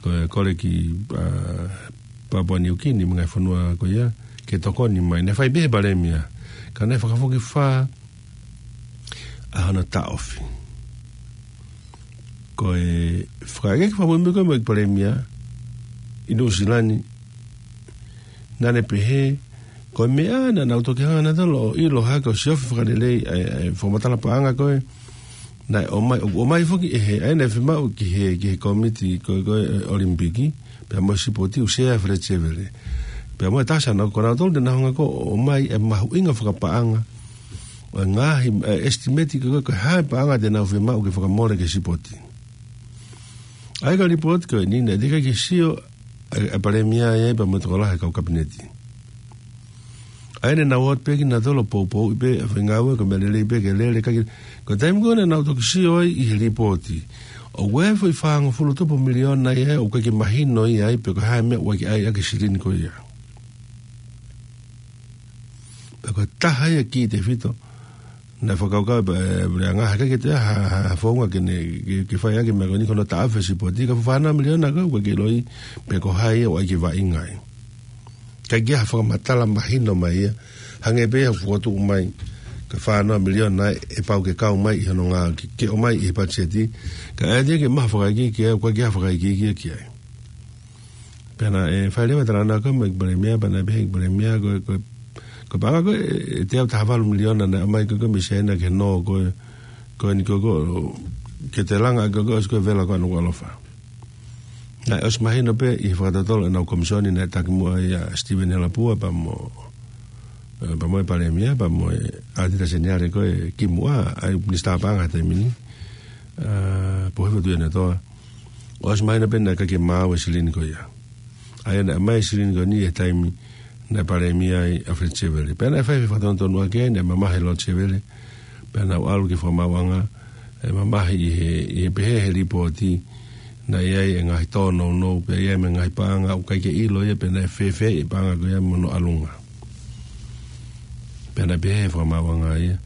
ko e kole ki, ʻa, Papua Niukini mo e ngaahi fonua ko ia, ke tokoni mai. Naʻe fai pē ʻe he Palēmia. Ka naʻe fakafokifā ʻa hono taʻofi. Ko e fakaʻekeʻeke fakamuimui ko ē mo e ʻEiki Palēmia ʻi Nuʻusila ni, naʻa ne pehē, ko e meʻa naʻa nau toki hanga nautolu ʻo ʻilo hake ʻo siofi fakalelei ʻa e, ʻa e fakamatala paʻanga ko ē naʻe ʻomai, ʻo, ʻomai foki ʻe he, ʻa ia naʻe fiemaʻu ki he, ki he kōmiti ko ē, ko ē, ʻa e ʻOlimipiki, pea mo e sipoti ʻoku sea ʻe Feleti Sevele. Pea mo e tasa naʻa ko nautolu te nau hanga ko ē ʻo ʻomai e mahuʻinga fakapaʻanga ʻo e ngaahi, ʻa e estimate ko ē ko e hā e paʻanga te nau fiemaʻu ke fakamole ki he sipoti. ʻA ia ko e lipooti ko eni naʻe teʻeki ke sio ʻa e, ʻa e Palēmia ia pea mo e tokolahi e kau Kapineti. ʻA ia naʻa nau ō atu pē kinautolu ʻo poupouʻi pē ʻa e faʻahinga ngāue ko e meʻa lelei pē ke lele, ka ko e taimi ko ē naʻa nau toki sio ai ʻi he lipooti, ʻoku ʻi ai e foʻi fāngofulu tupu miliona ia ʻoku ʻikai ke mahino ia ai pe ko e hā e meʻa ʻoku ʻai ʻaki e silini ko ia. Pea ko e taha ia e kiʻi tefito naʻe fakakaukau pē, ʻe, puleʻanga, he ʻikai ke toe ʻi ai ha, ha, ha founga ke ne, ke, ke fai ʻaki e meʻa ko eni ko hono taʻofi e sipoti, ka fānau miliona ko ē ʻoku ʻikai ke ʻiloʻi pe ko hai ia ʻoku ʻai ke vaʻinga ai. ʻIkai ke ʻi ai ha fakamatala mahino mai ia, hangē pē ia ʻoku fokotuʻu mai, ko e fānau miliona ʻe pau ke kau mai ʻi hono ngā, ke, ke ʻomai ʻi he patiseti, ka ʻe ʻikai ke maʻu ha fakaikiiki, ʻoku ʻikai ke ʻi ai ha fakaikiiki ki ai. Pea naʻe fai leva e talanoa ko ē mo e ʻEiki Palēmia, pea naʻe pehē ʻe he ʻEiki Palēmia, ko e, ko e, ko e paʻanga ko ē, ʻe, ʻe teau taha valu miliona naʻe ʻomai ko ē, ko ē mei Siaina ki he nō ko ē, ko eni ko ē, ko ē, ke te langa ko ē, ko ē, ʻosi ko ē vela ko ē ʻa Nukuʻalofa. Naʻe ʻosi mahino pē ʻi he fakatotolo ʻenau komisioni naʻe taki muʻa ia ʻa Steven Helapua pea mo, ē, pea mo e Palēmia, pea mo e ʻAtita Seniale ko ē kimuʻa, ʻa e Minisitā Paʻanga he taimi ni, ē, Pohifo Tuʻiʻonetoa. ʻOsi mahino pē naʻe ʻikai ke maau e silini ko ia. ʻA ia naʻe ʻomai e silini ko eni he taimi naʻe Palēmia ai ʻa Alfred Sevele. Pea naʻe fai e fakatonutonu ʻaki, naʻe mamahi ʻa Lord Sevele, pea nau ʻalu ki he fakamaauʻanga, ʻo mamahi ʻi he, ʻi he pehē he lipooti, naʻe ʻi ai e ngaahi tōnounou, pea ʻi ai mo e ngaahi paʻanga ʻoku ʻikai ke ʻilo ia pe naʻe fēfē e paʻanga ko ia mo hono ʻalunga. Pea naʻe pehē he fakamaauʻanga ia.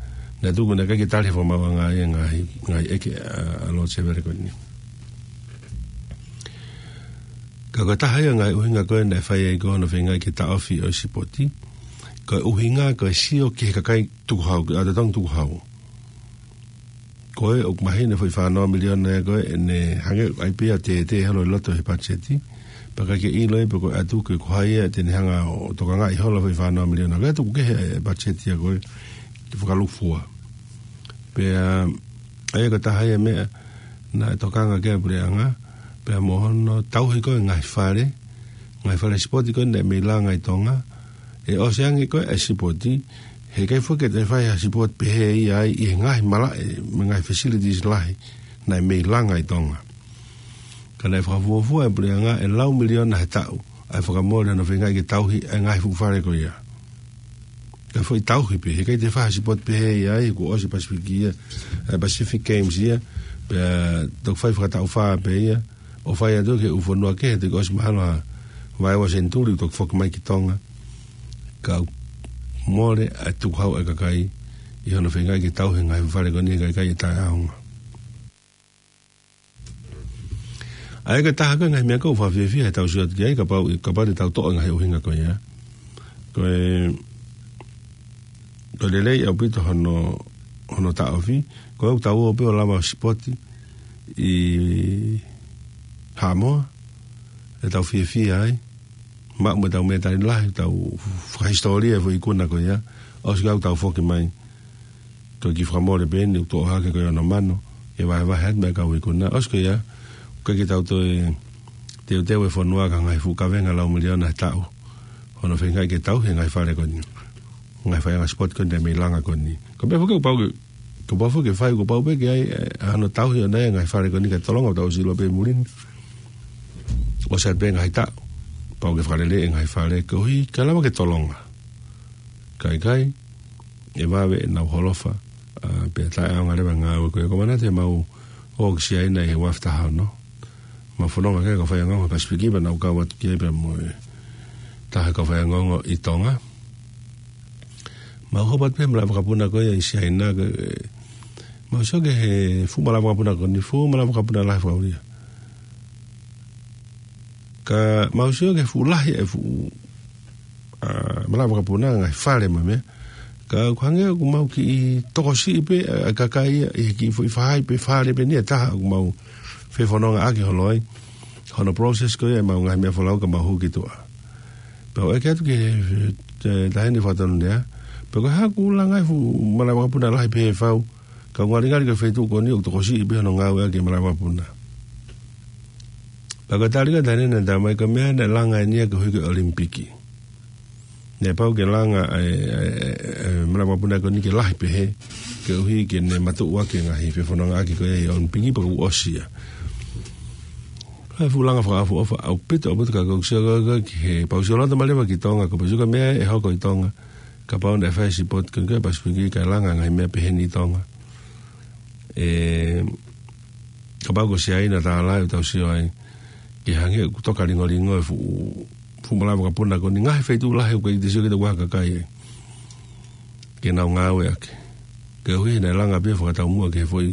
Naʻe tuku naʻe ʻikai ke tali he fakamaauʻanga ia e ngaahi, ngaahi ʻeke ʻa, ʻa Lord Sevele ko eni. Ka ko e taha ia e ngaahi ʻuhinga ko ē naʻe fai ai ko hono feingaʻi ke taʻofi ʻo e sipoti, ko e ʻuhinga ko e sio ki he kakai tukuhau, ʻa e totongi tukuhau. Ko e ʻoku mahino e foʻi fā noa miliona ia ko ē, ʻene hangē ʻoku ʻai pē ia ʻo tētē holo ʻi loto he patiseti. Pea ʻikai ke ʻilo ia pe ko e ʻatu ke ko hai ia te ne hanga ʻo tokangaʻi holo e foʻi fā noa miliona. Ko e ʻatu ʻoku kehe e patiseti ia ko ē ke fakalūkufua. Pea, ʻa ia ko e taha ia e meʻa naʻe tokanga ki ai e puleʻanga, pea mo hono tauhi ko ē e ngaahi fale, ngaahi fale sipoti ko ē naʻe mei langa ʻi Tonga, ʻe ʻosi ange ko ē e sipoti, heʻikai foki ke toe fai ha sipoti pehē ia ai ʻi he ngaahi malaʻe, mo e ngaahi facilities lahi, naʻe mei langa ʻi Tonga. Ka naʻe fakafuofua e puleʻanga ʻe lau miliona he taʻu, ʻa e fakamole hono feingaʻi ke tauhi e ngaahi fuʻu fale ko ia. Ka foʻi tauhi pē, heʻikai toe fai ha sipoti pehē ia ai, kuo ʻosi e Pasifiki ia, e Pacific Games ia, pea toki fai fakataʻu fā pē ia, ʻo fai atu ki he ʻū fonua kehe, toki ʻosi mahalo ha vaeua senituli, toki foki mai ki Tonga. Ka mole ʻa e tukuhau ʻa e kakai, ʻi hono feingaʻi ke tauhi e ngaahi fale ko eni, ka ʻikai ʻe taʻeʻaonga. ʻA ia ko e taha ko ē e ngaahi meʻa ʻoku ou fakafiefia he tau sio atu ki ai, kapau, kapau te tau toʻo e ngaahi ʻuhinga ko ia. Ko e, ko e lelei ʻaupito hono, hono taʻofi, ko ʻetau ō pē ʻo lava ʻo sipoti ʻi Haʻamoa, ʻetau fiefia ai, maʻu mo ʻetau mētali lahi, tau fakahisitōlia e foʻi ikuna ko ia, ʻosi ko ia ʻoku tau foki mai. Ko e kiʻi fakamole pē eni ʻoku toʻo hake ko ē hono mano, ʻe vahevahe atu mo e kau ikuna. ʻOsi ko ia, ʻoku ʻikai ke tau toe teuteu e fonua ki ha ngaahi fuʻu kavenga lau miliona he taʻu. Hono feingaʻi ke tauhi e ngaahi fale ko eni. Ngaahi faiʻanga sipoti ko eni naʻe mei langa ko eni. Ko e meʻa foki kuo pau ke, kuo pau foki ke fai, kuo pau pē ke ʻai, ē, hono tauhi ʻo e ngaahi fale ko eni kae tolonga ʻo tau silo pē muli ni. ʻOsi atu pē ngaahi taʻu, pau ke fakalele e ngaahi fale koeʻuhi kae lava ke tolonga. Ka ʻikai, ʻe vave ʻenau holofa, ā, pea taʻeʻaonga leva e ngāue ko ia. Ko e manatu ʻemau ō ki Siaina ʻi he ua afe taha ono. Mau fononga ki ai e kau faiongoongo Pasifiki pea nau kau atu ki ai pea mo e taha e kau faiongoongo ʻi Tonga. Mau hopo atu pē he malaʻe vakapuna ko ia ʻi Siaina, ko e, mau sio ki he fuʻu malaʻe vakapuna ko eni, fuʻu malaʻe vakapuna lahi fakaʻulia. Ka mau sio ki he fuʻu lahi e fuʻu, ā, malaʻe vakapuna, ngaahi fale mo e meʻa. Ka ʻoku hangē ʻoku mau kiʻi tokosiʻi pē, ā, e kakai ia ʻi he kiʻi foʻi faʻahi pē fale pē eni ʻe taha ʻoku mau fefonongaʻaki holo ai. Hono process ko ia ʻemau ngaahi meʻa folau ka mau hū ki tuʻa. Pea u ʻeke atu ki he, e, taʻahine fakatonulea, pe ko e hā ʻoku langa ai e fuʻu malaʻe vakapuna lahi pehē fau, ka ngalingali ko e feituʻu ko eni ʻoku tokosiʻi pē hono ngāueʻaki e malaʻe vakapuna. Pea ko e tali ʻa e taʻahine naʻe talamai ko e meʻa naʻe langa eni ia koeʻuhi ko e ʻOlimipiki. Naʻe pau ke langa e, e, e, e malaʻe vakapuna ko eni ke lahi pehē, koeʻuhi ke ne matuʻuaki e ngaahi fefonongaʻaki ko ia ʻi he ʻOlimipiki pea kuo ʻosi ia. Ko e fuʻu langa fakaʻofoʻofa ʻaupito, ʻaupito ka ʻoku ou sio ko ē ki he, pea u sio loto mai leva ki Tonga, ko e pau sio ki he meʻa ʻe hoko ʻi Tonga, kapau naʻe fai e sipoti ko ē ki he Pasifiki kae langa e ngaahi meʻa pehē ni ʻi Tonga. Ē, kapau ko Siaina tālai ʻoku tau sio ai, ke hangē ʻoku toka lingolingo e fuʻu, fuʻu malaʻe vakapuna ko eni, ngaahi feituʻu lahi ʻoku ʻikai te sio kita ʻoku kakai ai ke nau ngāueʻaki. Koeʻuhi naʻe langa pē fakataumuʻa ki he foʻi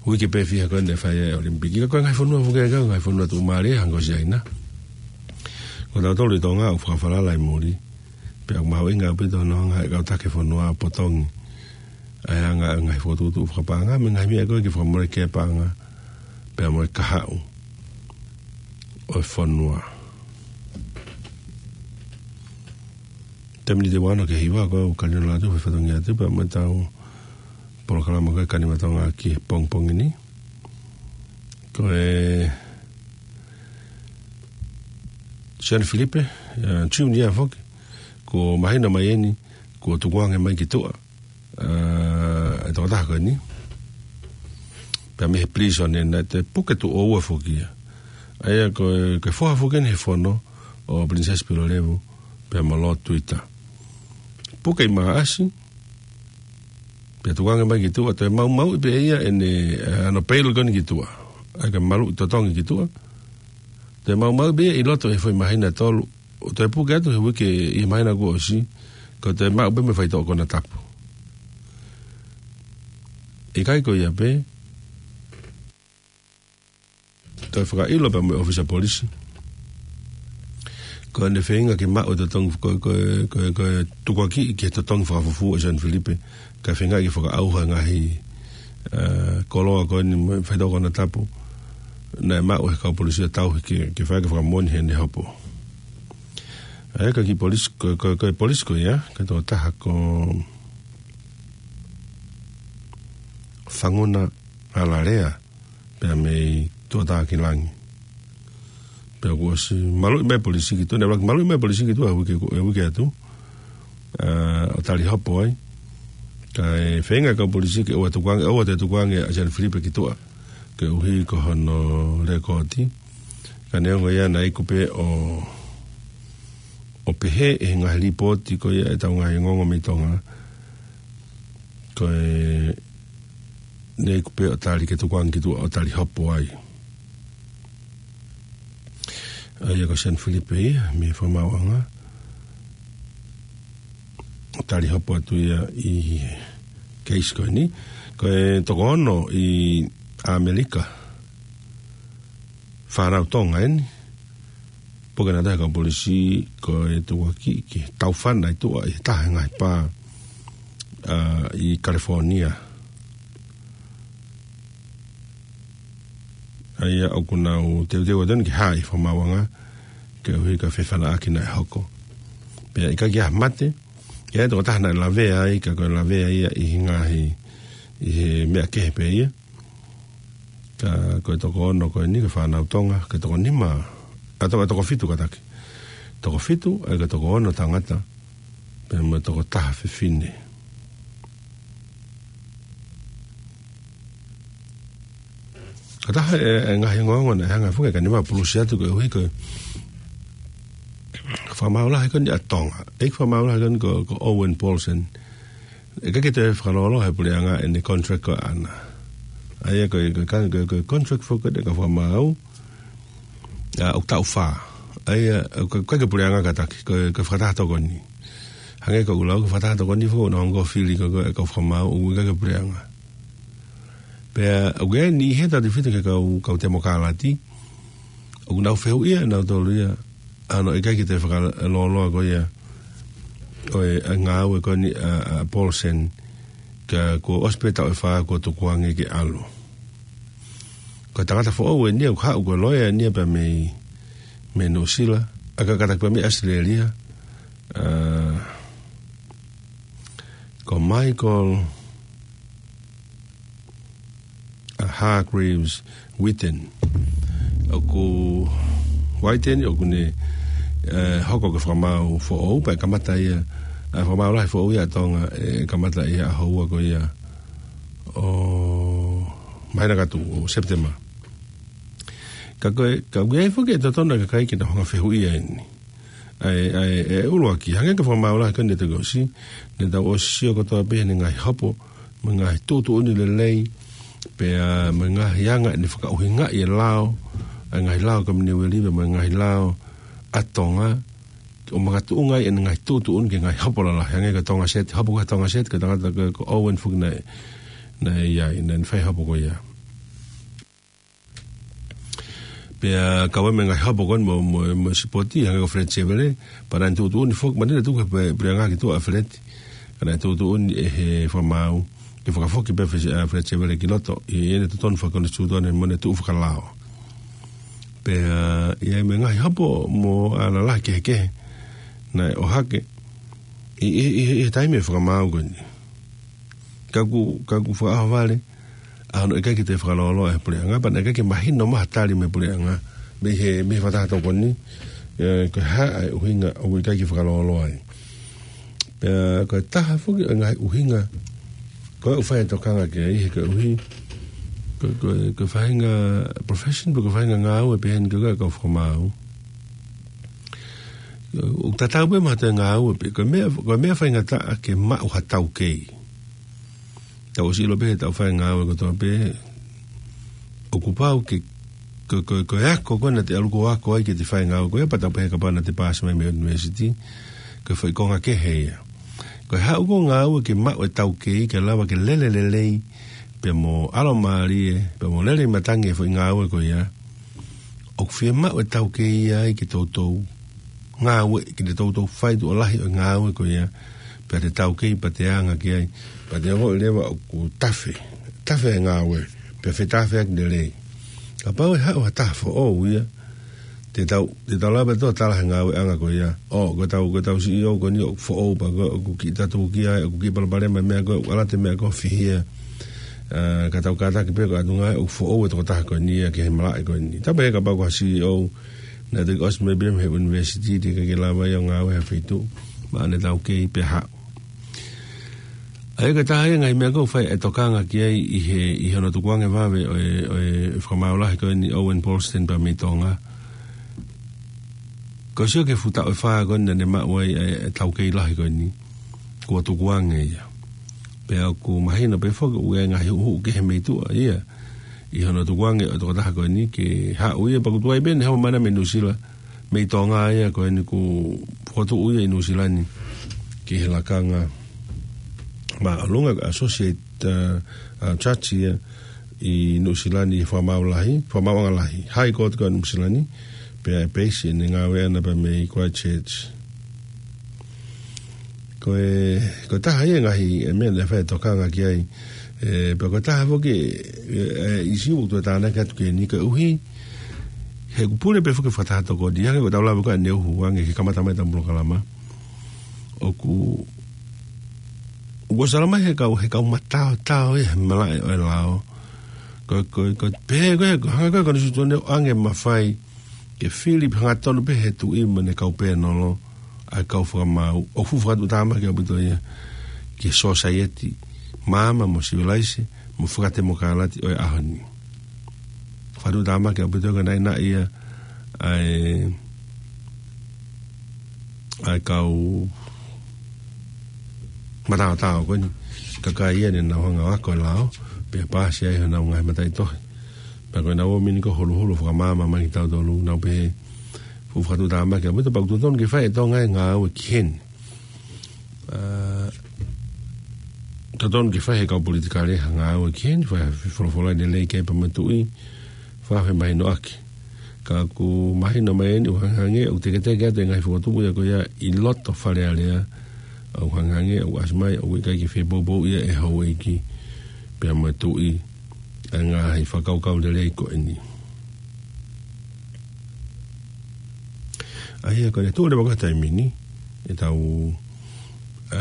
uike pē fiha ko ē naʻe fai ai e ʻOlimipiki. Ka ko e ngaahi fonua foki ia, ko e ngaahi fonua tuʻumālie hangē ko Siaina. Ko tautolu ʻi Tonga ʻoku fakafalala ʻi muli. Pea ʻoku mahuʻinga ʻaupito hono hanga ʻe he kau taki fonua ʻo potongi ʻa e anga e ngaahi fokotuʻutuʻu fakapaʻanga mo e ngaahi meʻa ko ē ke fakamoleki e paʻanga pea mo e kahaʻu ʻo e fonua. Taimi ni ʻe ua ono ki he hiva, ko e kani o lātou, fai fatongia atu pea mo ʻetau polokalama ko e Kani Matonga ki he pongipongi ni. Ko e Sione Filipe, ē, Junior foki, kuo mahino mai eni, kuo tukuange mai ki tuʻa, ē, e tokotaha ko eni. Pea mei he prison ē, naʻe toe puke tuʻo ua foki ia. ʻA ia ko e, ko e foha foki eni he fono ʻo Princess Pilolevu, pea mo Lord Twitter. Puke ʻi Maʻasi, pea tukuange mai ki tuʻa, toe maumauʻi pē ia ʻene, ē, ʻene bail ko eni ki tuʻa. ʻA ia ka maluʻi totongi ki tuʻa. Toe maumauʻi pē ia ʻi loto he foʻi māhina ʻe tolu. ʻO toe puke atu he uike ʻi he māhina kuo ʻosi, ko e toe maʻu pē mei he faitoʻo konatapu. ʻIkai ko ia pē, toe fakaʻilo pē mo e ʻōfisa polisi. Ko ʻene feinga ke maʻu e totongi, ko, ko, ko, ko e tukuakiʻi ki he totongi fakafufū ʻa Sione Filipe, kae feinga ke fakaʻauha e ngaahi, ē, koloa ko eni mo e faitoʻo konatapu, naʻe maʻu ʻe he kau polisi ʻo tauhi ke, ke fai ke fakamoʻoni heʻene hopo. ʻA ia ko e kiʻi polisi, ko, ko, ko e polisi ko ia, ko e tokotaha ko Fanguna Alalea, pea mei Tuʻatākilangi. Pea kuo ʻosi maluʻi mai e polisi ki tuʻa, naʻe ʻuluaki maluʻi mai e polisi ki tuʻa he uike, he uike atu, ē, ʻo tali hopo ai. Kae feinga e kau polisi ke ʻoua ʻe tukuange, ʻoua ʻe tukuange ʻa Sione Filipe ki tuʻa, koeʻuhi ko hono lēkooti. Ka neongo ia naʻe iku pē ʻo, ʻo pehē ʻe he ngaahi lipooti ko ia ʻetau ngaahi ongoongo mei Tonga, ko e naʻe iku pē ʻo tali ke tukuange ki tuʻa ʻo tali hopo ai. ʻA ia ko Sione Filipe ia, mei he fakamaauʻanga. ʻO tali hopo atu ia ʻi he case ko eni. Ko e toko ono ʻi ʻAmelika. Fānau Tonga eni. Puke naʻe tali ʻe he kau polisi ko e tukuakiʻi ki he taufana ʻi tuʻa ʻi he taha e ngaahi pā, ā, ʻi California. ʻA ia ʻoku nau teuteu atu eni ke hā ʻi he fakamaauʻanga, koeʻuhi ko e fefanaʻaki naʻe hoko. Pea ʻikai ke ʻi ai ha mate, ʻi ai e tokotaha naʻe lavea ai, ka ko e lavea ia ʻi he ngaahi, ʻi he meʻa kehe pē ia. Ka ko e toko ono ko eni ko e fānau Tonga, ko e toko nima, ā, toko, toko fitu kātaki. Toko fitu, ʻa ia ko e toko ono tangata, pea mo e toko taha fefine. Ko e taha e, e ngaahi ongoongo naʻe hanga foki ʻe he kau nima ʻo pulusi atu koeʻuhi ko e fakamaau lahi ko eni ʻa Tonga. ʻEiki fakamaau lahi ko eni ko, ko Owen Paulsen. ʻIkai ke toe fakalōloa ʻe he puleʻanga ʻene contract ko ʻana. ʻA ia ko e, ko e, ko e, ko e contract foki ʻa e kau fakamaau, ā, ʻoku taʻu fā. ʻA ia, ʻoku, ʻikai ke puleʻanga kātaki, ko e, ko e fakataha tokoni. Hangē ko ʻeku lau, ko e fakataha tokoni foki naʻe ongo fili ko e, ko e kau fakamaau, ʻoku ʻikai ke puleʻanga. Pea, ʻoku ʻi ai e niʻihi he tau tefito ki he kau, kau temokalati, ʻoku nau fehuʻia nautolu ia, ʻa hono ʻikai ke toe fakalōloa ko ia ʻo e, ʻa e ngāue ko eni ʻa, ʻa Paulsen, ka kuo ʻosi pē taʻu ʻe fā kuo tukuange ke ʻalu. Ko e tangata foʻou eni ia, ʻoku haʻu ko e loea eni ia pea mei, mei Nuʻusila, ʻa ia kātaki pea mei ʻAositelēlia, ā, ko Michael, ā, Hargreaves Whitten. ʻOku Whitten, ʻoku ne, ē, hoko ko e fakamaau foʻou, pea kamata ia, ā, fakamaau lahi foʻou ia ʻa Tonga, ē, kamata ia ʻaho ua ko ia ʻo māhina ka tuʻu, ʻo September. Ka ko e, ka ʻoku ʻi ai foki e totonu ʻa e kakai ke nau hanga ʻo fehuʻia eni. ʻA e, ʻa e, e ʻuluaki, hangē ko e fakamaau lahi ko eni ʻa e toki ʻosi, naʻa tau ʻosi sio kotoa pē heʻene ngaahi hopo, mo e ngaahi tuʻutuʻuni lelei, pea mo e ngaahi anga ʻene fakaʻuhingaʻi e lao, ʻa e ngaahi lao Kominiueli, pea mo e ngaahi lao ʻa Tonga, ʻo makatuʻunga ai ʻene ngaahi tuʻutuʻuni ki he ngaahi hopo lalahi, hangē ko e Tonga Set, hopo ko e Tonga Set, ko e tangata ko, ko Owen foki naʻe, naʻe ʻi ai, naʻe fai hopo ko ia. Pea kau ai mo e ngaahi hopo ko eni mo, mo, mo e sipoti, hangē ko Fred Sevele, pea naʻe tuʻutuʻuni foki, manatu naʻe tuku ʻe he puleʻanga ki tuʻa ʻa Fred, ka naʻe tuʻutuʻuni ʻe he fakamaau, ke fakafoki pē ʻa Fred, ʻa Fred Sevele ki loto, ʻi heʻene totonu fakakonisitūtone mo ʻene tuʻu fakalao. Pea, ā, ʻi ai mo e ngaahi hopo mo e lalahi kehekehe, naʻe ʻohake, ʻi, ʻi, ʻi, ʻi he taimi ʻo e fakamaau ko eni. Ka ʻoku, ka ʻoku fakaʻohovale, ʻa hono ʻikai ke toe fakalōloa ʻe he puleʻanga, pea naʻe ʻikai ke mahino mai ha tali mei he puleʻanga, mei he, mei he fakataha tokoni, ē, ko e hā ʻa e ʻuhinga ʻoku ʻikai ke fakalōloa ai. Pea ko e taha foki ʻo e ngaahi ʻuhinga ko ē ʻoku fai e tokanga ki ai, he koeʻuhi ko, ko, ko e faʻahinga profession, pe ko e faʻahinga ngāue pehē ni ko ē ʻa e kau fakamaau. ʻOku tatau pē mo ha toe ngāue pē, ko e meʻa, ko e meʻa faingataʻa ke maʻu ha taukei. Tau ʻosi ʻilo pē he tau fai ngāue kotoa pē, ʻoku pau ke, ko, ko, ko e ako ko ē naʻa te ʻalu ʻo ako ai ke te fai ngāue ko ia, pea tau pehē kapau naʻa te paasi mai mei he university, ko e foʻi konga kehe ia. Ko e haʻu ko ē ʻo ngāue ke maʻu e taukei, ke lava ke lele lelei, pea mo ʻalomālie, pea mo lele ʻi matangi e foʻi ngāue ko ia. ʻOku fiemaʻu e taukei ia ai ke toutou ngāue, ke te toutou fai tuʻo lahi ʻo e ngāue ko ia, pea te taukei pea te anga ki ai, pea te ongoʻi leva ʻoku tafe, tafe e ngāue, pea fetafeaki lelei. Kapau ʻe haʻu ha taha foʻou ia, te tau, te tau lava pē ʻo tala he ngāueʻanga ko ia. ʻO, ko ʻetau, ko ʻetau C E O ko eni ʻoku foʻou pea ko ē ʻoku kiʻi tatuki ai, ʻoku kiʻi palopalema e meʻa ko ē, ʻoku ʻalu atu e meʻa ko ē ʻo fihia. Ā, ka tau kātaki pē ko e ʻatunga ē ʻoku foʻou e tokotaha ko eni ia ki he malaʻe ko eni. Tau pehē kapau ko ha C E O naʻe toki ʻosi mei pē mei he university, teʻeki ke lava ia ʻo ngāue he feituʻu, maʻu ʻene taukei pea haʻu. ʻA ia ko e taha ia e ngaahi meʻa ʻoku fai e tokanga ki ai ʻi he, ʻi hono tukuange vave ʻo e, ʻo e fakamaau lahi ko eni Owen Paulsen pea mei Tonga. Ko e sio ki he fuʻu taʻu ʻe fā ko eni naʻa ne maʻu ai e, e taukei lahi ko eni, kuo tukuange ia. Pea ʻoku mahino pē foki ʻoku ʻi ai e ngaahi huʻuhuʻu kehe mei tuʻa ia ʻi hono tukuange ʻo e tokotaha ko eni ke haʻu ia, pea ʻoku tuai pē ʻene haʻu mai mei Nuʻusila, mei Tonga ia ko eni, kuo fokotuʻu ia ʻi Nuʻusila ni ki he lakanga māʻolunga, ko e Associate, ā, ā, Judge ia ʻi Nuʻusila ni, fakamaau lahi, fakamaauʻanga lahi, High Court ko ē ʻa Nuʻusila ni, pea ʻe peisi ʻene ngāue ʻana pea mei Christchurch. Ko e, ko e taha ia e ngaahi, e meʻa naʻe fai e tokanga ki ai, ē, pea ko e taha foki e, e ʻīsiu ʻoku toe tānaki atu ki heni koeʻuhi he ʻoku pule pē foki e fakataha tokoni, hangē ko ʻetau lave ko ē ʻaneuhu ange ki he kamata mai ʻetau polokalama. ʻOku, ʻoku ʻosi ala mai he kau, he kau mataotao ia he malaʻe ʻo e lao. Ko, ko, ko, pehē ko ē, ko e hanga ko ē ʻe he konisitūtone ʻo ʻoange e mafai ke fili pē hangatonu pē he tuʻi mo ʻene kau pēnolo ʻa e kau fakamaau, ʻoku fuʻu fakatuʻutāmaki ʻaupito ia ki he sōsaieti maama mo sivilaise mo fakatemokalati ʻo e ʻaho ni. Fakatuʻutāmaki ʻaupito ko e naʻinaʻi ia ʻa e, ʻa e kau mataotao ko eni, kakai ia ne nau hanga ʻo ako e lao, pea paasi ai honau ngaahi mataʻitohi. Pea ko ʻenau ō mai ni ko e huluhulu fakamaama mai kia tautolu, nau pehē fuʻu fakatuʻutāmaki ʻaupito, pea ʻoku totonu ke fai ʻe Tonga e ngāue ki heni. Ā, totonu ke fai ʻe he kau politikale ha ngāue ki heni, fai ha folofola lelei ki ai pea mo e tuʻi, fakafemahinoʻaki. Ka ʻoku mahino mai eni ʻoku hangehangē ʻoku teketeke atu e ngaahi fokotuʻu ia ko ia ʻi loto Fale Alea, ʻoku hangehangē ʻoku ʻasi mai ʻoku ʻikai ke fie poupouʻi ia ʻe he houʻeiki pea mo e tuʻi ʻa e ngaahi fakakaukau lelei ko eni. ʻA ia ko ʻene tuʻu leva ko ē he taimi ni ʻetau, ā,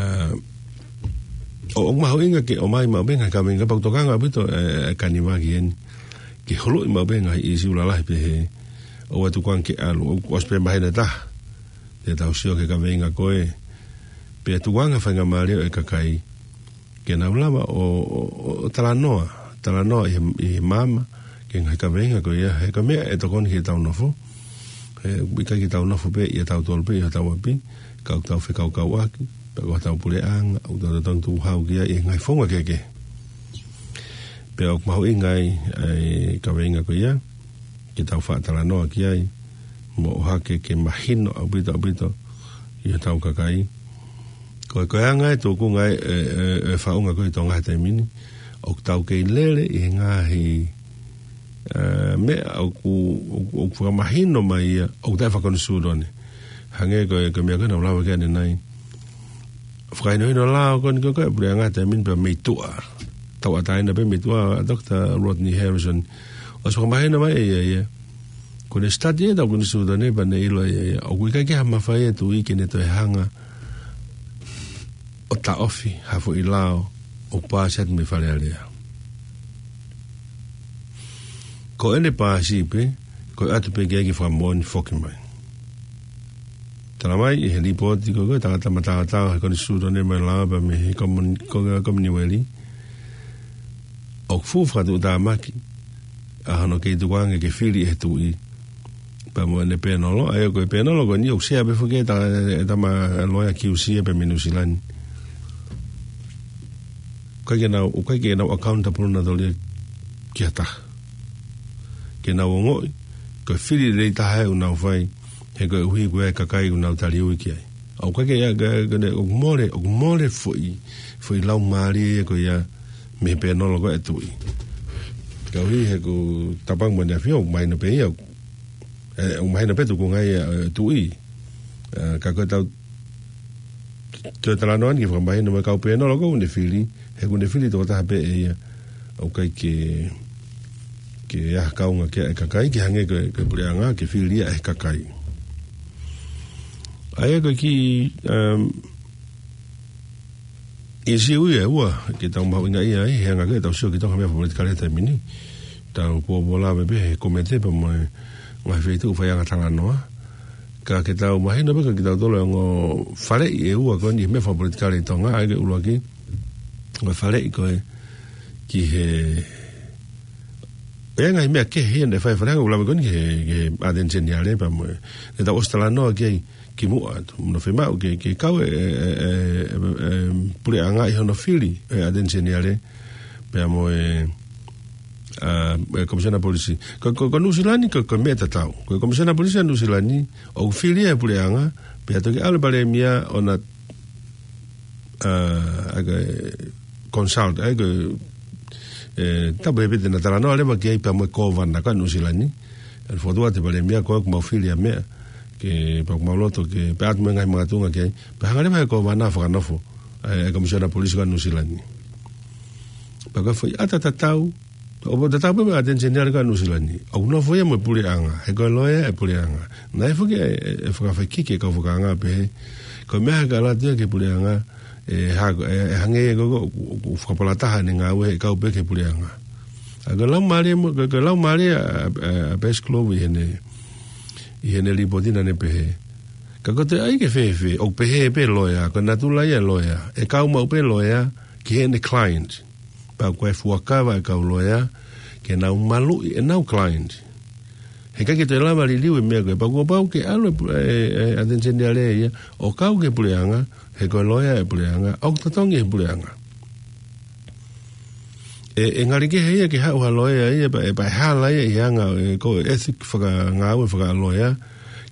ʻo, ʻoku mahuʻinga ke ʻomai maʻu pē ngaahi kaveinga, pea ʻoku tokanga ʻaupito e, e Kaniva ki heni, ke holoʻi maʻu pē ngaahi ʻīsiu lalahi pehē, ʻoua ʻe tukuange ke ʻalu, ʻoku ʻosi pē mahino ʻe taha, te tau sio ki he kaveinga ko ē, pea tukuange faingamālie ʻo e kakai ke nau lava ʻo, ʻo, ʻo, ʻo talanoa, talanoa ʻi he, ʻi he maama ki he ngaahi kaveinga ko ia, he ko e meʻa ʻe tokoni ki heʻetau nofo. He ʻoku ʻikai ke tau nofo pē ʻia tautolu pē ʻi hotau ʻapi, ka ʻoku tau fekaukauʻaki pea ko hotau puleʻanga ʻoku tau totonu tukuhau ki ai ʻi he ngaahi founga kehekehe. Pea ʻoku mahuʻinga ai ʻa e kaveinga ko ia ke tau faʻa talanoa ki ai, mo ʻohake ke mahino ʻaupito, ʻaupito ʻi hotau kakai. Ko e, ko e anga e tuʻunga e, e, e faʻunga ko ē ʻi Tonga he taimi ni, ʻoku tau kei lele ʻi he ngaahi, ā, meʻa ʻoku, ʻoku, ʻoku fakamahino mai ia ʻoku taʻe fakakonisitūtone. Hangē ko e, ko e meʻa ko ē naʻa ku lave ki ai ʻanenai. Fakahinohino lao ko eni ko ē ʻa e puleʻanga he taimi ni pea mei tuʻa. Tauʻatāina pē mei tuʻa ʻa Doctor Rodney Harrison. ʻOsi fakamahino mai ʻe ia ia, ko ʻene sitati ʻetau konisitūtone pea ne ʻilo ʻe ia ia ʻoku ʻikai ke ʻi ai ha mafai ʻa e tuʻi ke ne toe hanga ʻo taʻofi ha foʻi lao ʻoku paasi atu mei Fale Alea. Ko ʻene paasi pē, ko e ʻoatu pē ke ʻai ke fakamoʻoni foki mai. Talamai ʻe he lipooti ko ē ʻa e tangata mataotao he Konisitūtone mo e Lao pea mei he komon-, ko-, Kominiueli, ʻoku fuʻu fakatuʻutāmaki ʻa hono kei tukuange ke fili ʻe he Tuʻi pea mo ʻene pēnolo, ʻa ia ko e pēnolo ko eni ʻoku sea pē foki ʻe he ta-, ʻe he tama loea Q C ia pea mei Nuʻusila ni. ʻIkai ke nau, ʻikai ke nau accountable nautolu ia ki ha taha. Ke nau ongoʻi ko e fili lelei taha ʻoku nau fai, he koeʻuhi ko e kakai ʻoku nau taliui ki ai. ʻOku ʻikai ke ia, ke, ke ne, ʻoku mole, ʻoku mole foʻi, foʻi laumālie ia ko ia mei he pēnolo ko ē ʻa e Tuʻi. Koeʻuhi he ʻoku Tapangi mo ʻEne ʻAfio, ʻoku mahino pē ia, ē, ʻoku mahino pē tukunga ia ʻa e Tuʻi. Ē, ka ko e tau toe talanoa ni ke fakamahino mai e kau pēnolo ko ē ʻoku ne fili, he ʻoku ne fili tokotaha pē ʻe ia, ʻoku ʻikai ke, ke ʻi ai ha kaunga ki ai ʻa e kakai, ke hangē ko e, ko e puleʻanga, ke fili ia ʻe he kakai. ʻA ia ko e kiʻi, um, ʻīsiu ia ʻe ua ke tau mahuʻingaʻia ai, he anga ko ē ʻetau sio ki he Tonga meʻa fakapolitikale he taimi ni. Tau pōpōlave pē he komete pea mo e ngaahi feituʻu faiʻanga talanoa. Ka ke tau mahino pē kiate kitautolu e ongo faleʻi ʻe ua ko eni he meʻa fakapolitikale ʻi Tonga, ʻa ia ko e ʻuluaki, ko e faleʻi ko ē ki he, ʻa e ngaahi meʻa kehe ia naʻe fai ʻe he faleʻi ʻanga ʻuluaki ko eni ki he, ki he ʻAteni Seniale pea mo e, naʻa tau ʻosi talanoa ki ai kimuʻa atu. Mo hono fiemaʻu ke, ke kau e, e, e, e, e, puleʻanga ʻi hono fili e ʻAteni Seniale pea mo e, ʻa, e Komisiona Polisi. Ko, ko, ko Nuʻusila ni, ko, ko e meʻa tatau. Ko e Komisiona Polisi ʻa Nuʻusila ni, ʻoku fili ʻe he puleʻanga, pea toki ʻalu e palēmia ʻo na, ʻa, ʻa, ko e consult, ʻa, ko e, ē, tapu he pete na talanoa leva ki ai pea mo e kōvana ko ē ʻa Nuʻusila ni. ʻE fokotuʻu atu e palēmia ko ē ʻoku mau fili ʻa e meʻa, ke pea ʻoku mau loto ke pea atu mo e ngaahi makatuʻunga ki ai. Pea hanga leva ʻe he kōvana ʻo fakanofo, ē, e Komisiona Polisi ko ē ʻa Nuʻusila ni. Pea ko e foʻi ʻata tatau, ʻoku tatau pē mo e ʻAteni Seniale ko ē ʻa Nuʻusila ni. ʻOku nofo ia mo e puleʻanga, he ko e loea e puleʻanga. Naʻe foki e, e, e fakafaikiki e kau fakaanga pehē, ko e meʻa hake ʻalu atu ia ki he puleʻanga, ʻe ha-, ʻe, ʻe hangē ia ko, ko, ko, ko e fakapalataha ʻene ngāue he kau pē ki he puleʻanga. ʻA ia ko e laumālie mo, ko, ko e laumālie ʻa, ʻa, ʻa Base Glove ʻi heʻene, ʻi heʻene lipooti naʻa ne pehē, ka ko e toe ʻai ke fēfē, ʻoku pehē pē loea, ko e natula ia e loea, ʻe kau maʻu pē loea ki heʻene client. Pea ko e fuakava e kau loea ke nau maluʻi ʻenau client. He ʻikai ke toe lava liliu e meʻa ko ē, pea kuo pau ke ʻalu e pu-, e, e, ʻAteni Seniale ia ʻo kau ki he puleʻanga, he ko e loea e puleʻanga, ʻoku totongi he puleʻanga. ʻE, ʻe ngali kehe ia ke haʻu ha loea ia, pea, ʻe pea ʻe hala ia ʻi he anga, ē, ko e ethic fakangāue fakaloea,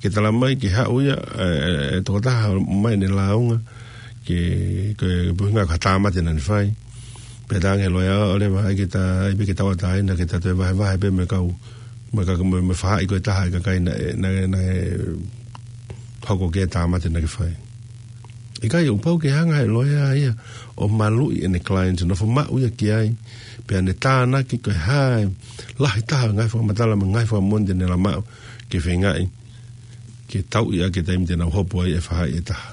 ke talamai ke haʻu ia, ē, ē, ē, tokotaha mai ʻene lāunga, ke, ke, ke puhinga ka tāmate naʻa ne fai. Pea talaange ʻe he loea ʻo leva ai ke ta, ʻai pē ke tauʻatāina, ke ta toe vahevahe pē mo e kau, mo e ka, mo e, mo e faʻahi ko ē ʻa e kakai naʻe, naʻe, naʻe hoko ki ai e tāmate naʻa ke fai. ʻIkai, ʻoku pau ke hanga ʻe he loea ia ʻo maluʻi ʻene client, nofo maʻu ia ki ai, pea ne tānaki ko e hā e lahi taha e ngaahi fakamatala mo e ngaahi fakamoʻoni te ne lava maʻu ke feingaʻi ke tauʻi ʻaki e taimi te nau hopo ai e faʻahi ʻe taha.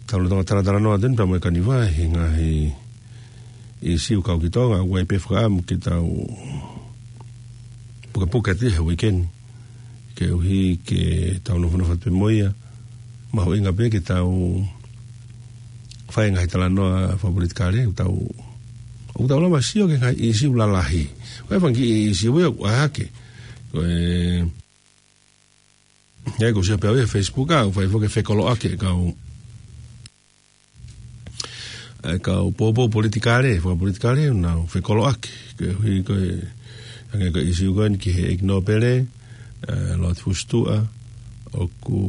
Tau lolotonga talatalanoa atu eni pea mo e Kaniva he ngaahi ʻīsiu kau ki Tonga, ʻoku ʻi ai pē fakaʻamu ke tau pukepuke atu he uike ni, koeʻuhi ke tau nofonofo atu pē mo ia, mahuʻinga pē ke tau fai e ngaahi talanoa fakapolitikale, ʻoku tau, ʻoku tau lava sio ki he ngaahi ʻīsiu lalahi. Ko e fanga kiʻi ʻīsiu ia ʻoku ʻai hake. Ko e, ʻi ai ko e sio pē au he Facebook ʻa, ʻoku fai foki e fekoloʻaki e kau, e kau poupou politikale, fakapolitikale, nau fekoloʻaki. Koeʻuhi ko e, hangē ko e ʻīsiu ko eni ki he ʻEiki Nōpele, ē, Lord Fusitua, ʻoku,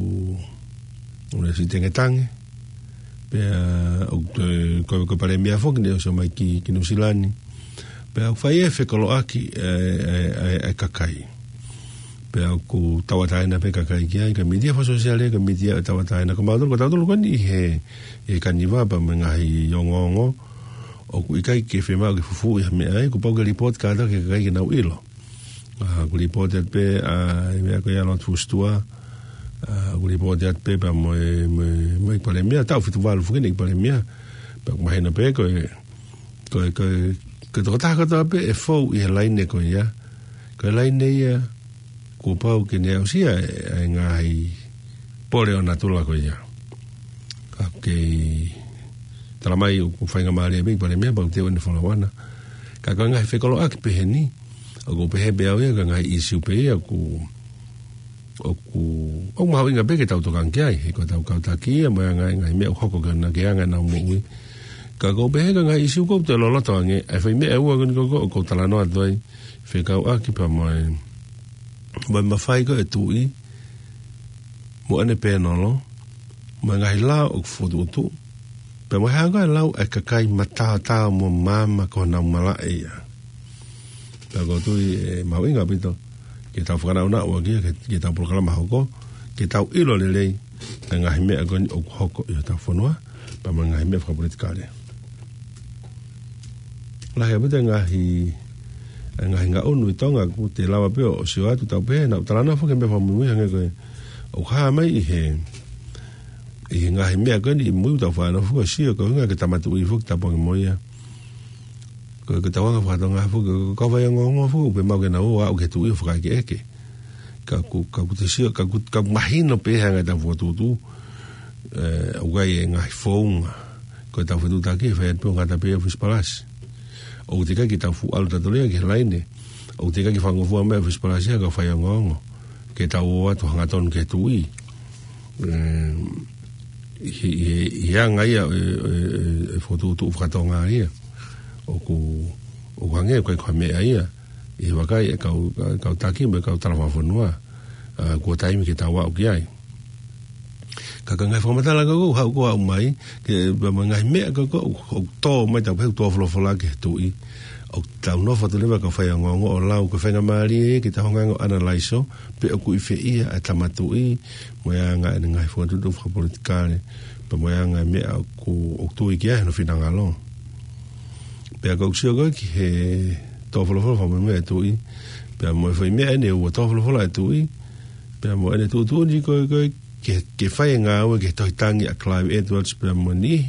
ʻoku ne siʻi tangetange, pea ʻoku, ē, ko, ko e palēmia foki naʻe ʻosi ō mai ki, ki Nuʻusila ni. Pea ʻoku fai e fekoloʻaki e, e, e, e kakai. Pea ʻoku tauʻatāina pē kakai ki ai, ko e mītia fakasōsiale, ko e mītia ʻo e tauʻatāina. Ko mautolu, ko tautolu ko eni he, he Kaniva pea mo e ngaahi ongoongo, ʻoku ʻikai ke fiemaʻu ke fufuuʻi ha meʻa ai, kuo pau ke lipooti kātoa ki he kakai ke nau ʻilo. ʻA, ʻoku lipooti atu pē, ʻa, e meʻa ko ia ʻa Lord Fusitua, ʻa, ʻoku lipooti atu pē pea mo e, mo e, mo e palēmia, taʻu fitu valu foki ʻene palēmia, pea ʻoku mahino pē ko e, ko e, ko e, ko e tokotaha kotoa pē ʻe fou ʻi he laine ko ia, ko e laine ia, kuo pau ke ne aʻusia e, e ngaahi pole ʻo natula ko ia. Ka ʻoku kei talamai ʻoku faingamālie pē ki he Palēmia pea ʻoku teʻeki ai ke ne follow ʻana. Ka ko e ngaahi fekoloʻaki pehē ni, ʻoku pehē pē au ia ko e ngaahi ʻīsiu pē ia ʻoku, ʻoku, ʻoku mahuʻinga pē ke tau tokanga ki ai, he ko ʻetau kau taki ia, mo e ngaahi, ngaahi meʻa ʻoku hoko ki hona ke anga ʻenau moʻui. Ka ʻoku pehē ko e ngaahi ʻīsiu ʻoku toe loloto ange, ʻa e foʻi meʻa ʻe ua ko eni ʻoku, ʻoku ou talanoa atu ai, fekauʻaki pea mo e, mo e mafai ko ē ʻa e tuʻi, mo ʻene pēnolo, mo e ngaahi lao ʻoku fokotuʻutuʻu, pea mo e hā ko ē ʻa e lau ʻa e kakai mataotao mo maama ko honau malaʻe ia. Pea ʻoku ou tui ʻe mahuʻinga ʻaupito ke tau fakanaʻunaʻu ʻaki ia, ke, ke tau polokalama hoko, ke tau ʻilo lelei ʻa e ngaahi meʻa ko eni ʻoku hoko ʻi hotau fonua, pea mo e ngaahi meʻa fakapolitikale. Lahi ʻaupito e ngaahi, e ngaahi ngaʻunu ʻi Tonga ʻoku te lava pē ʻo sio atu, tau pehē naʻa ku talanoa foki he meʻa fakamuimui hangē ko e ʻoku hā mai ʻi he, ʻi he ngaahi meʻa ko eni ʻi mui, tau faʻa nofo ʻo sio ko e ʻuhinga ke tama tuʻi foki, tapu ange mo ia. Ko e, ko e tauʻanga faka-Tonga foki, ko e kau faiongoongo foki, ʻoku pē maʻu ke nau ō ʻo aʻu ki he tuʻi ʻo fakaʻekeʻeke. Ka ʻoku, ka ʻoku te sio, ka ʻoku, ka ʻoku mahino pē hangē ʻetau fokotuʻutuʻu, ē, ʻoku ʻi ai e ngaahi founga. Ko ʻetau fetuʻutaki ʻe fai atu pē ʻo ngata pē ʻi he ʻōfisi palasi. ʻOku teʻeki ai ke tau fuʻu ʻalu tautolu ia ki he laine. ʻOku teʻeki ai ke fakangofua mai e ʻōfisi palasi ia ki he kau faiongoongo, ke tau ō atu hangatonu ki he tuʻi. Ē, ʻi he, ʻi he, ʻi he anga ia e, e, e, e fokotuʻutuʻu faka-Tonga ia. ʻOku, ʻoku hangē ʻoku ʻikai ko ha meʻa ia ʻi he vakai ʻa e kau, kau taki mo e kau tala fakafonua, ā, kuo taimi ke tau aʻu ki ai. Ka ko e ngaahi fakamatala ko ē ʻoku haʻu, ʻoku haʻu mai, ke, pea mo e ngaahi meʻa ko ē ʻoku, ʻoku tō mai, tau pehē ʻoku tō folofola ki he tuʻi, ʻoku tau nofo atu leva kau faiongoongo ʻo lau, ko e faingamālie ke tau hanga ʻo ʻanalaiso pe ʻoku ʻi fē ia ʻa e tama tuʻi, mo e anga ʻene ngaahi fokotuʻutuʻu fakapolitikale, pea mo e anga e meʻa ʻoku, ʻoku tui ki ai hono finangalo. Pea ʻoku ou sio ko ē ki he tō folofola fakamuimui ʻa e tuʻi, pea mo e foʻi meʻa eni ʻe ua, tō folofola ʻa e tuʻi, pea mo ʻene tuʻutuʻuni ko ē, ko ē ke, ke fai e ngāue ki he tohi tangi ʻa Clive Edwards pea mo e niʻihi,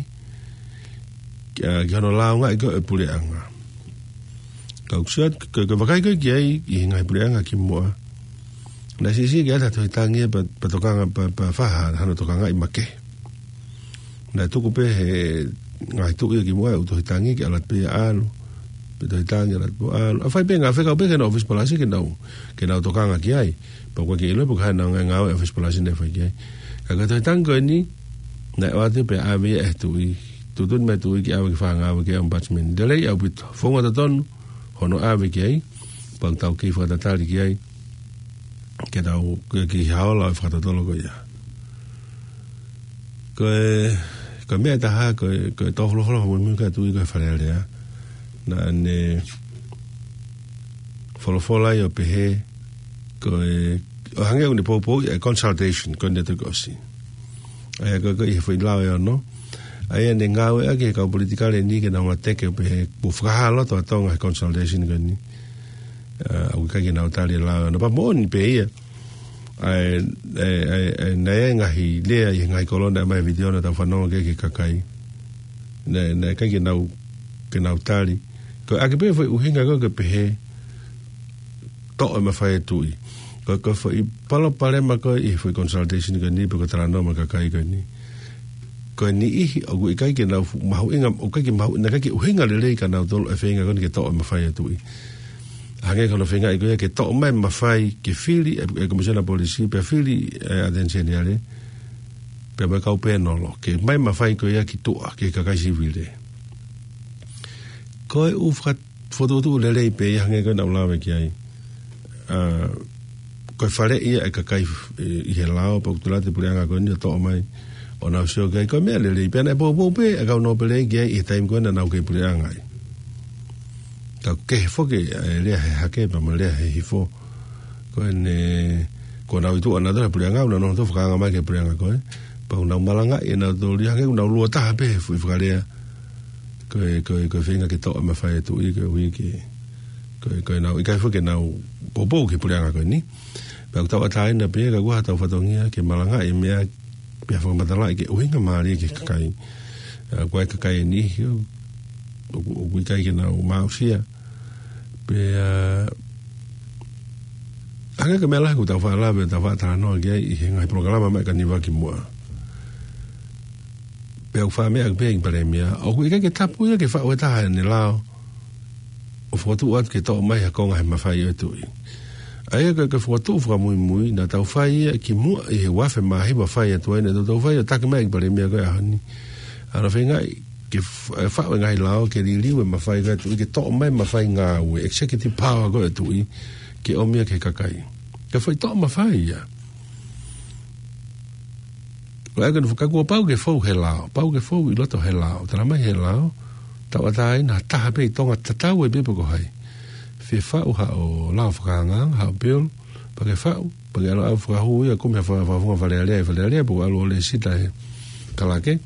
ki, ā, ki hono lāungaʻi ko ē ʻo e puleʻanga. Ka ʻoku ou sio atu, ko e, ko e vakai ko ē ki ai ʻi he ngaahi puleʻanga kimuʻa, naʻe siʻisiʻi ke ʻata e tohi tangi ia pea, pea tokanga, pea, pea fai hano tokangaʻi makehe. Naʻe tuku pē he ngaahi tuʻi ia kimuʻa e ʻū tohi tangi ke ʻalu atu pē ia ʻo ʻalu, pe tohi tangi ʻalu atu pē ʻo ʻalu. ʻA, fai pē ngāue, fekau pē ki he ʻōfisi palasi ke nau, ke nau tokanga ki ai. Pea ʻoku ʻikai ke ʻilo pe ko e hā e ngaahi ngāue ʻa e ʻōfisi palasi naʻe fai ki ai. Ka ko e tohi tangi ko eni, naʻe ʻoatu pē ʻave ia ʻe he tuʻi. Tuʻutuʻuni mai e tuʻi ke ʻave ki he fanga ngāue ki he ombudsman. Lelei ʻaupito, founga totonu hono ʻave ki ai, pea ʻoku tau kei fakatatali ki ai, ke tau, ke, ki he ola ʻo e fakatotolo ko ia. Ko e, ko e meʻa ʻe taha, ko e, ko e tō folofola fakamuimui ʻa e tuʻi ko e Fale Alea. Naʻa ne folofola ai ʻo pehē, ko e, ʻo hangē ʻoku ne poupouʻi e consultation ko eni naʻe toki ʻosi. ʻA ia ko e, ko e ʻi he foʻi lao ʻe ono. ʻA ia naʻe ngāueʻaki ʻe he kau politikale ni ke nau ngāteke ʻo pehē kuo fakahā loto ʻa Tonga he consultation ko eni. Ā, ʻoku ʻikai ke nau tali e lao ʻe ono. Pea moʻoni pē ia. ʻA e, ʻa e, ʻa e, ʻa e, naʻe ngaahi lea ʻi he ngaahi kolo naʻe ʻomai he vitiō naʻa tau fanongo ki ai ki he kakai. Naʻe, naʻe ʻikai ke nau, ke nau tali. Ko e ʻaki pē foʻi ʻuhinga ko ē ke pehē toʻo e mafai ʻa e tuʻi. Ko, ko e foʻi palopalema ko ē ʻi he foʻi consultation ko eni pe ko e talanoa mo e kakai ko eni. Ko e niʻihi ʻoku ʻikai ke nau fu-, mahuʻinga, ʻoku ʻikai ke mahu-, naʻe ʻikai ke ʻuhinga lelei kia nautolu e feinga ko eni ke toʻo e mafai ʻa e tuʻi. Hangē ko hono feingaʻi ko ia ke toʻo mai e mafai ke fili e, e Komisiona Polisi, pea fili e ʻAteni Seniale, pea mo e kau pēnolo, ke ʻomai e mafai ko ia ki tuʻa, ki he kakai sivile. Ko e ʻū faka-, fokotuʻutuʻu lelei pē ia hangē ko ē naʻa ku lave ki ai. Ā, ko e faleʻi ia e kakai, ē, ʻi he lao, pea ʻoku tala atu e puleʻanga ko eni ʻo toʻo mai ʻo nau sio ki ai, ko e meʻa lelei pē, naʻe poupou pē ʻa e kau nōpele ki ai ʻi he taimi ko ē naʻa nau kei puleʻanga ai. Ka ʻoku kehe foki e lea he hake pea mo e lea he hifo. Ko ʻene, ko ʻenau ʻi tuʻa nautolu he puleʻanga, ʻoku nau nofo atu ʻo fakaanga mai ki he puleʻanga ko ē. Pea ʻoku nau malangaʻi ʻe nautolu ia hangē ʻoku nau lua taha pē he foʻi fakalea. Ko e, ko e, ko e feinga ke toʻo e mafai ʻa e tuʻi, koeʻuhi ke, ko e, ko ʻenau, ʻikai foki ke nau poupou ki he puleʻanga ko eni. Pea ʻoku tauʻatāina pē, ka ʻoku ʻi ai haʻatau fatongia ke malangaʻi e meʻa, pea fakamatalaʻi ki he ʻuhinga mālie ki he kakai. Ā, ko e kakai ʻe niʻihi, ʻoku, ʻoku ʻikai ke nau maʻusia. Pea, ā, Hangē ko e meʻa lahi ʻoku tau faʻa lave, tau faʻa talanoa ki ai ʻi he ngaahi polokalama mai ka niva ki muʻa. Pea ʻoku faʻa meʻa pē ʻe he Palēmia, ʻoku ʻikai ke tapu ia ke faʻu e taha ʻene lao ʻo fokotuʻu atu ke toʻo mai ha konga he mafai ʻo e tuʻi. ʻA ia ko e, ko e fokotuʻu fakamuimui naʻa tau fai ia ki muʻa ʻi he ua afe mā hiva fai atu ai, naʻa tau fai ʻo taki mai ʻe he Palēmia ko e ʻaho ni. ʻA ia feingaʻi ke f-, faʻu e ngaahi lao ke liliu e mafai ko ē ʻa e tuʻi, ke toʻo mai e mafai ngāue, executive power ko ē ʻa e tuʻi, ke ʻomi ia ki he kakai. Ko e foʻi toʻo mafai ia. Ko e ʻai ke ne fakakuo pau ke fou he lao, pau ke fou ʻi loto he lao, tala mai he lao, tauʻatāina ha taha pē ʻi Tonga, tatau ai pē pe ko hai. Fie faʻu haʻo lao fakaangaanga, haʻo bill, pea ke faʻu, pea ke ʻalu ʻo fakahū ia, kumi ha fa-, fakafofonga Fale Alea ʻi Fale Alea, pe ko e ʻalu ʻo lēsisita he kalake.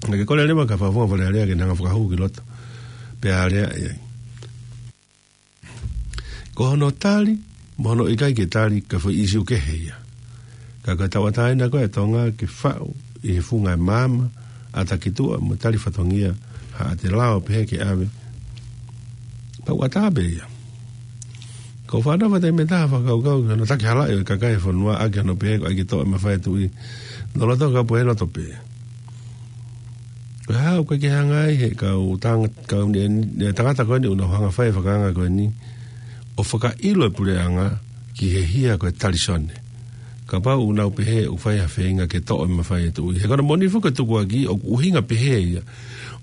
Naʻa ke kole leva ki he fakafofonga Fale Alea ke ne hanga ʻo fakahū ki loto. Pea alea ia. Ko hono tali, mo hono ʻikai ke tali, ko e foʻi ʻīsiu kehe ia. Ka ko e tauʻatāina ko ē ʻa Tonga ke faʻu ʻi he funga ʻo e maama, ʻata ki tuʻa mo tali fatongia, haʻate lao pehē ke ʻave. Pau ʻatā pē ia. Ko e fānau fātai mei taha fakakaukau ki hono takihalaʻi ʻo e kakai e fonua ʻaki hono pehē ko e ʻai ke toʻo e mafai ʻa e tuʻi. Nolo tau ka pohe loto pē. Ko e hā ʻoku ʻikai ke hanga ai he kau tang-, kau ne, ne tangata ko eni ʻoku nau hanga ʻo fai e fakaanga ko eni ʻo fakaʻilo e puleʻanga ki he hia ko e talisone. Kapau ʻoku nau pehē ʻoku fai ha feinga ke toʻo e mafai ʻa e tuʻi. He ko hono moʻoni foki ko e tukuakiʻi ʻoku ʻuhinga pehē ia.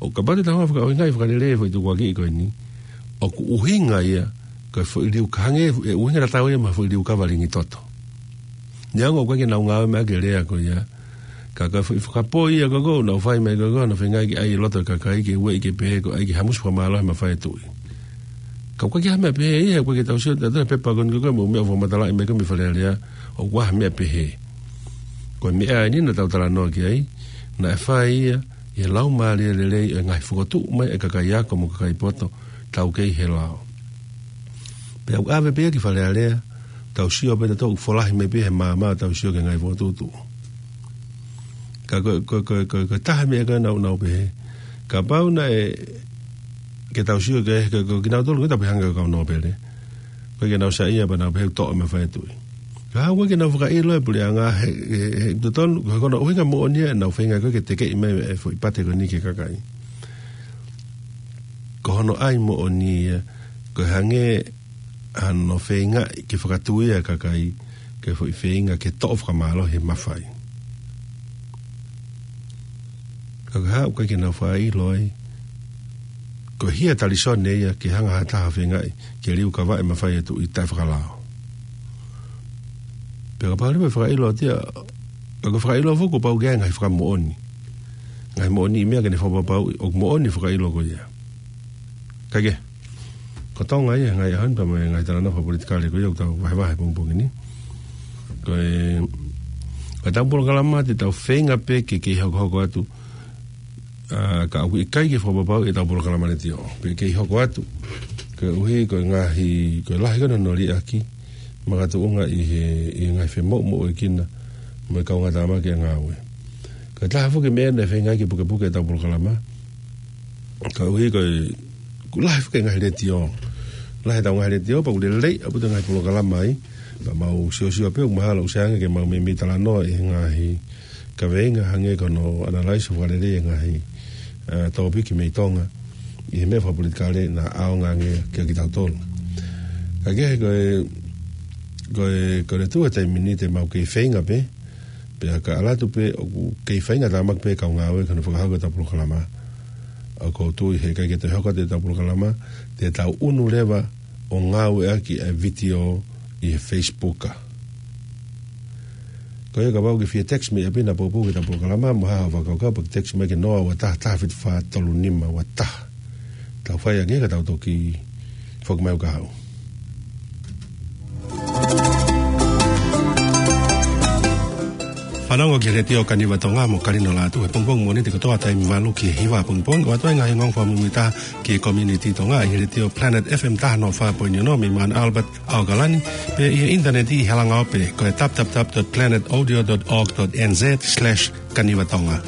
ʻO kapau te tau hanga ʻo fakaʻuhingaʻi fakalelei e foʻi tukuakiʻi ko eni, ʻoku ʻuhinga ia ko e foʻi liukava hangē e ʻuhinga tatau ia mo e foʻi liukava lingi toto. Neongo ʻoku ʻikai ke nau ngāue mai ʻaki e lea ko ia. Ka ko e foʻi fakapō ia ko ē ʻoku nau fai mai ko ē, nau feingaʻi ke ʻai ʻi loto ʻo e kakai ke ueʻi ke pehē ko e ʻai ke hamusi fakamālohi e mafai ʻa e tuʻi. Ka ʻoku ʻikai ke hā meʻa pehē ia, he ʻoku ʻikai ke tau sio ʻi he pepa ko eni ko ē mo e meʻa ʻoku fakamatalaʻi mai ko ē mei Fale Alea, ʻoku ʻikai ha meʻa pehē. Ko e meʻa eni naʻa tau talanoa ki ai, naʻe fai ia ʻi he laumālie lelei ʻo e ngaahi fokotuʻu mai ʻa e kakai ako mo e kakai poto, taukei he lao. Pea ʻoku ʻave pē ia ki Fale Alea, tau sio pē tautolu ʻoku folahi mai pē he maama, tau sio ki he ngaahi fokotuʻutuʻu. Ka ko, ko, ko, ko, ko e taha e meʻa ko ē naʻa nau pehē. Kapau naʻe, ke tau sio ki he, ko, ko kinautolu ko ē tau pehē hangē ko e kau nōpele. Ko e ke nau saiʻia pea nau pehē ʻoku toʻo e mafai ʻa e tuʻi. Ka ʻoku ʻikai ke nau fakaʻilo e puleʻanga he, he, he totonu, ko hono ʻuhinga moʻoni ia ʻenau feinga ko ē ke tekeʻi mai e foʻi pate ko eni ki he kakai. Ko hono ʻai moʻoni ia, ko e hangē hano feingaʻi ke fakatuia e kakai, ke foʻi feinga ke toʻo fakamālohi e mafai. Ka ko e hā ʻoku ʻikai ke nau fakaʻilo ai, ko e hia talisone ia ke hanga ha taha ʻo feingaʻi ke liukavaʻi e mafai ʻa e tuʻi taʻefakalao. Pea kapau leva ʻe fakaʻilo atu ia, ka ko e fakaʻilo foki kuo pau ke ʻai e ngaahi fakamoʻoni. Ngaahi moʻoniʻi meʻa ke ne fakapapauʻi ʻoku moʻoni e fakaʻilo ko ia. Kae kehe, ko Tonga ia he ngaahi ʻaho ni pea mo e ngaahi talanoa fakapolitikale ko ia ʻoku tau vahevahe he pongipongi ni. Ko e, ko ʻetau polokalama te tau feinga pē ke kei hokohoko atu, ʻa, ka ʻoku ʻikai ke fakapapauʻi ʻetau polokalama letiō. Pea kei hoko atu, koeʻuhi ko e ngaahi, ko e lahi ko ē hono liʻaki, makatuʻunga ʻi he, ʻi he ngaahi femoʻumoʻuekina mo e kaungātāmaki ʻa e ngāue. Ko e taha foki e meʻa naʻe feinga ke pukepuke ʻetau polokalama, koeʻuhi ko e, ʻoku lahi foki e ngaahi letiō. Lahi ʻetau ngaahi letiō, pea ʻoku lelei ʻaupito e ngaahi polokalama ai. Pea mau siosio pē ʻoku mahalo ʻoku sai ange ke mau meimei talanoa ʻi he ngaahi kaveinga hangē ko hono analyze fakalelei e ngaahi, ʻa, tōpiki mei Tonga ʻi he meʻa fakapolitikale naʻa ʻaonga ange kiate kitautolu. Kae kehe ko e, ko e, ko e tuʻu he taimi ni te mau kei feinga pē, pea ka ʻalu atu pē ʻoku kei feinga tāmaki pē kau ngāue ki hono fakahoko ʻetau polokalama. ʻOku ou tui he ʻikai ke toe hoko atu ʻetau polokalama, te tau ʻunu leva ʻo ngāueʻaki e vitiō ʻi he Facebook. Ko ia kapau ʻoku ke fie text mei ʻapi ʻo poupou ki heʻetau polokalama, mo ha fakakaukau, pea ke text mai ki he noa ua taha taha fitu fā tolu nima ua taha. Tau fai ange ka tau toki foki mai ʻo kau. Fanongo ki he Letiō Kaniva Tonga mo Kalino Lātū he pongipongi Mōnite kotoa taimi valu ki he hiva pongipongi, ʻo ʻoatu ai e ngaahi ongoongo fakamuimuitaha ki he community Tonga ʻi he Letiō Planet F M taha noa fā poini ono mei Mount Albert, ʻAokalani, pea ʻi he ʻinitaneti ʻi he langa ope ko e w w w dot planet audio dot org dot n z slash kaniva tonga.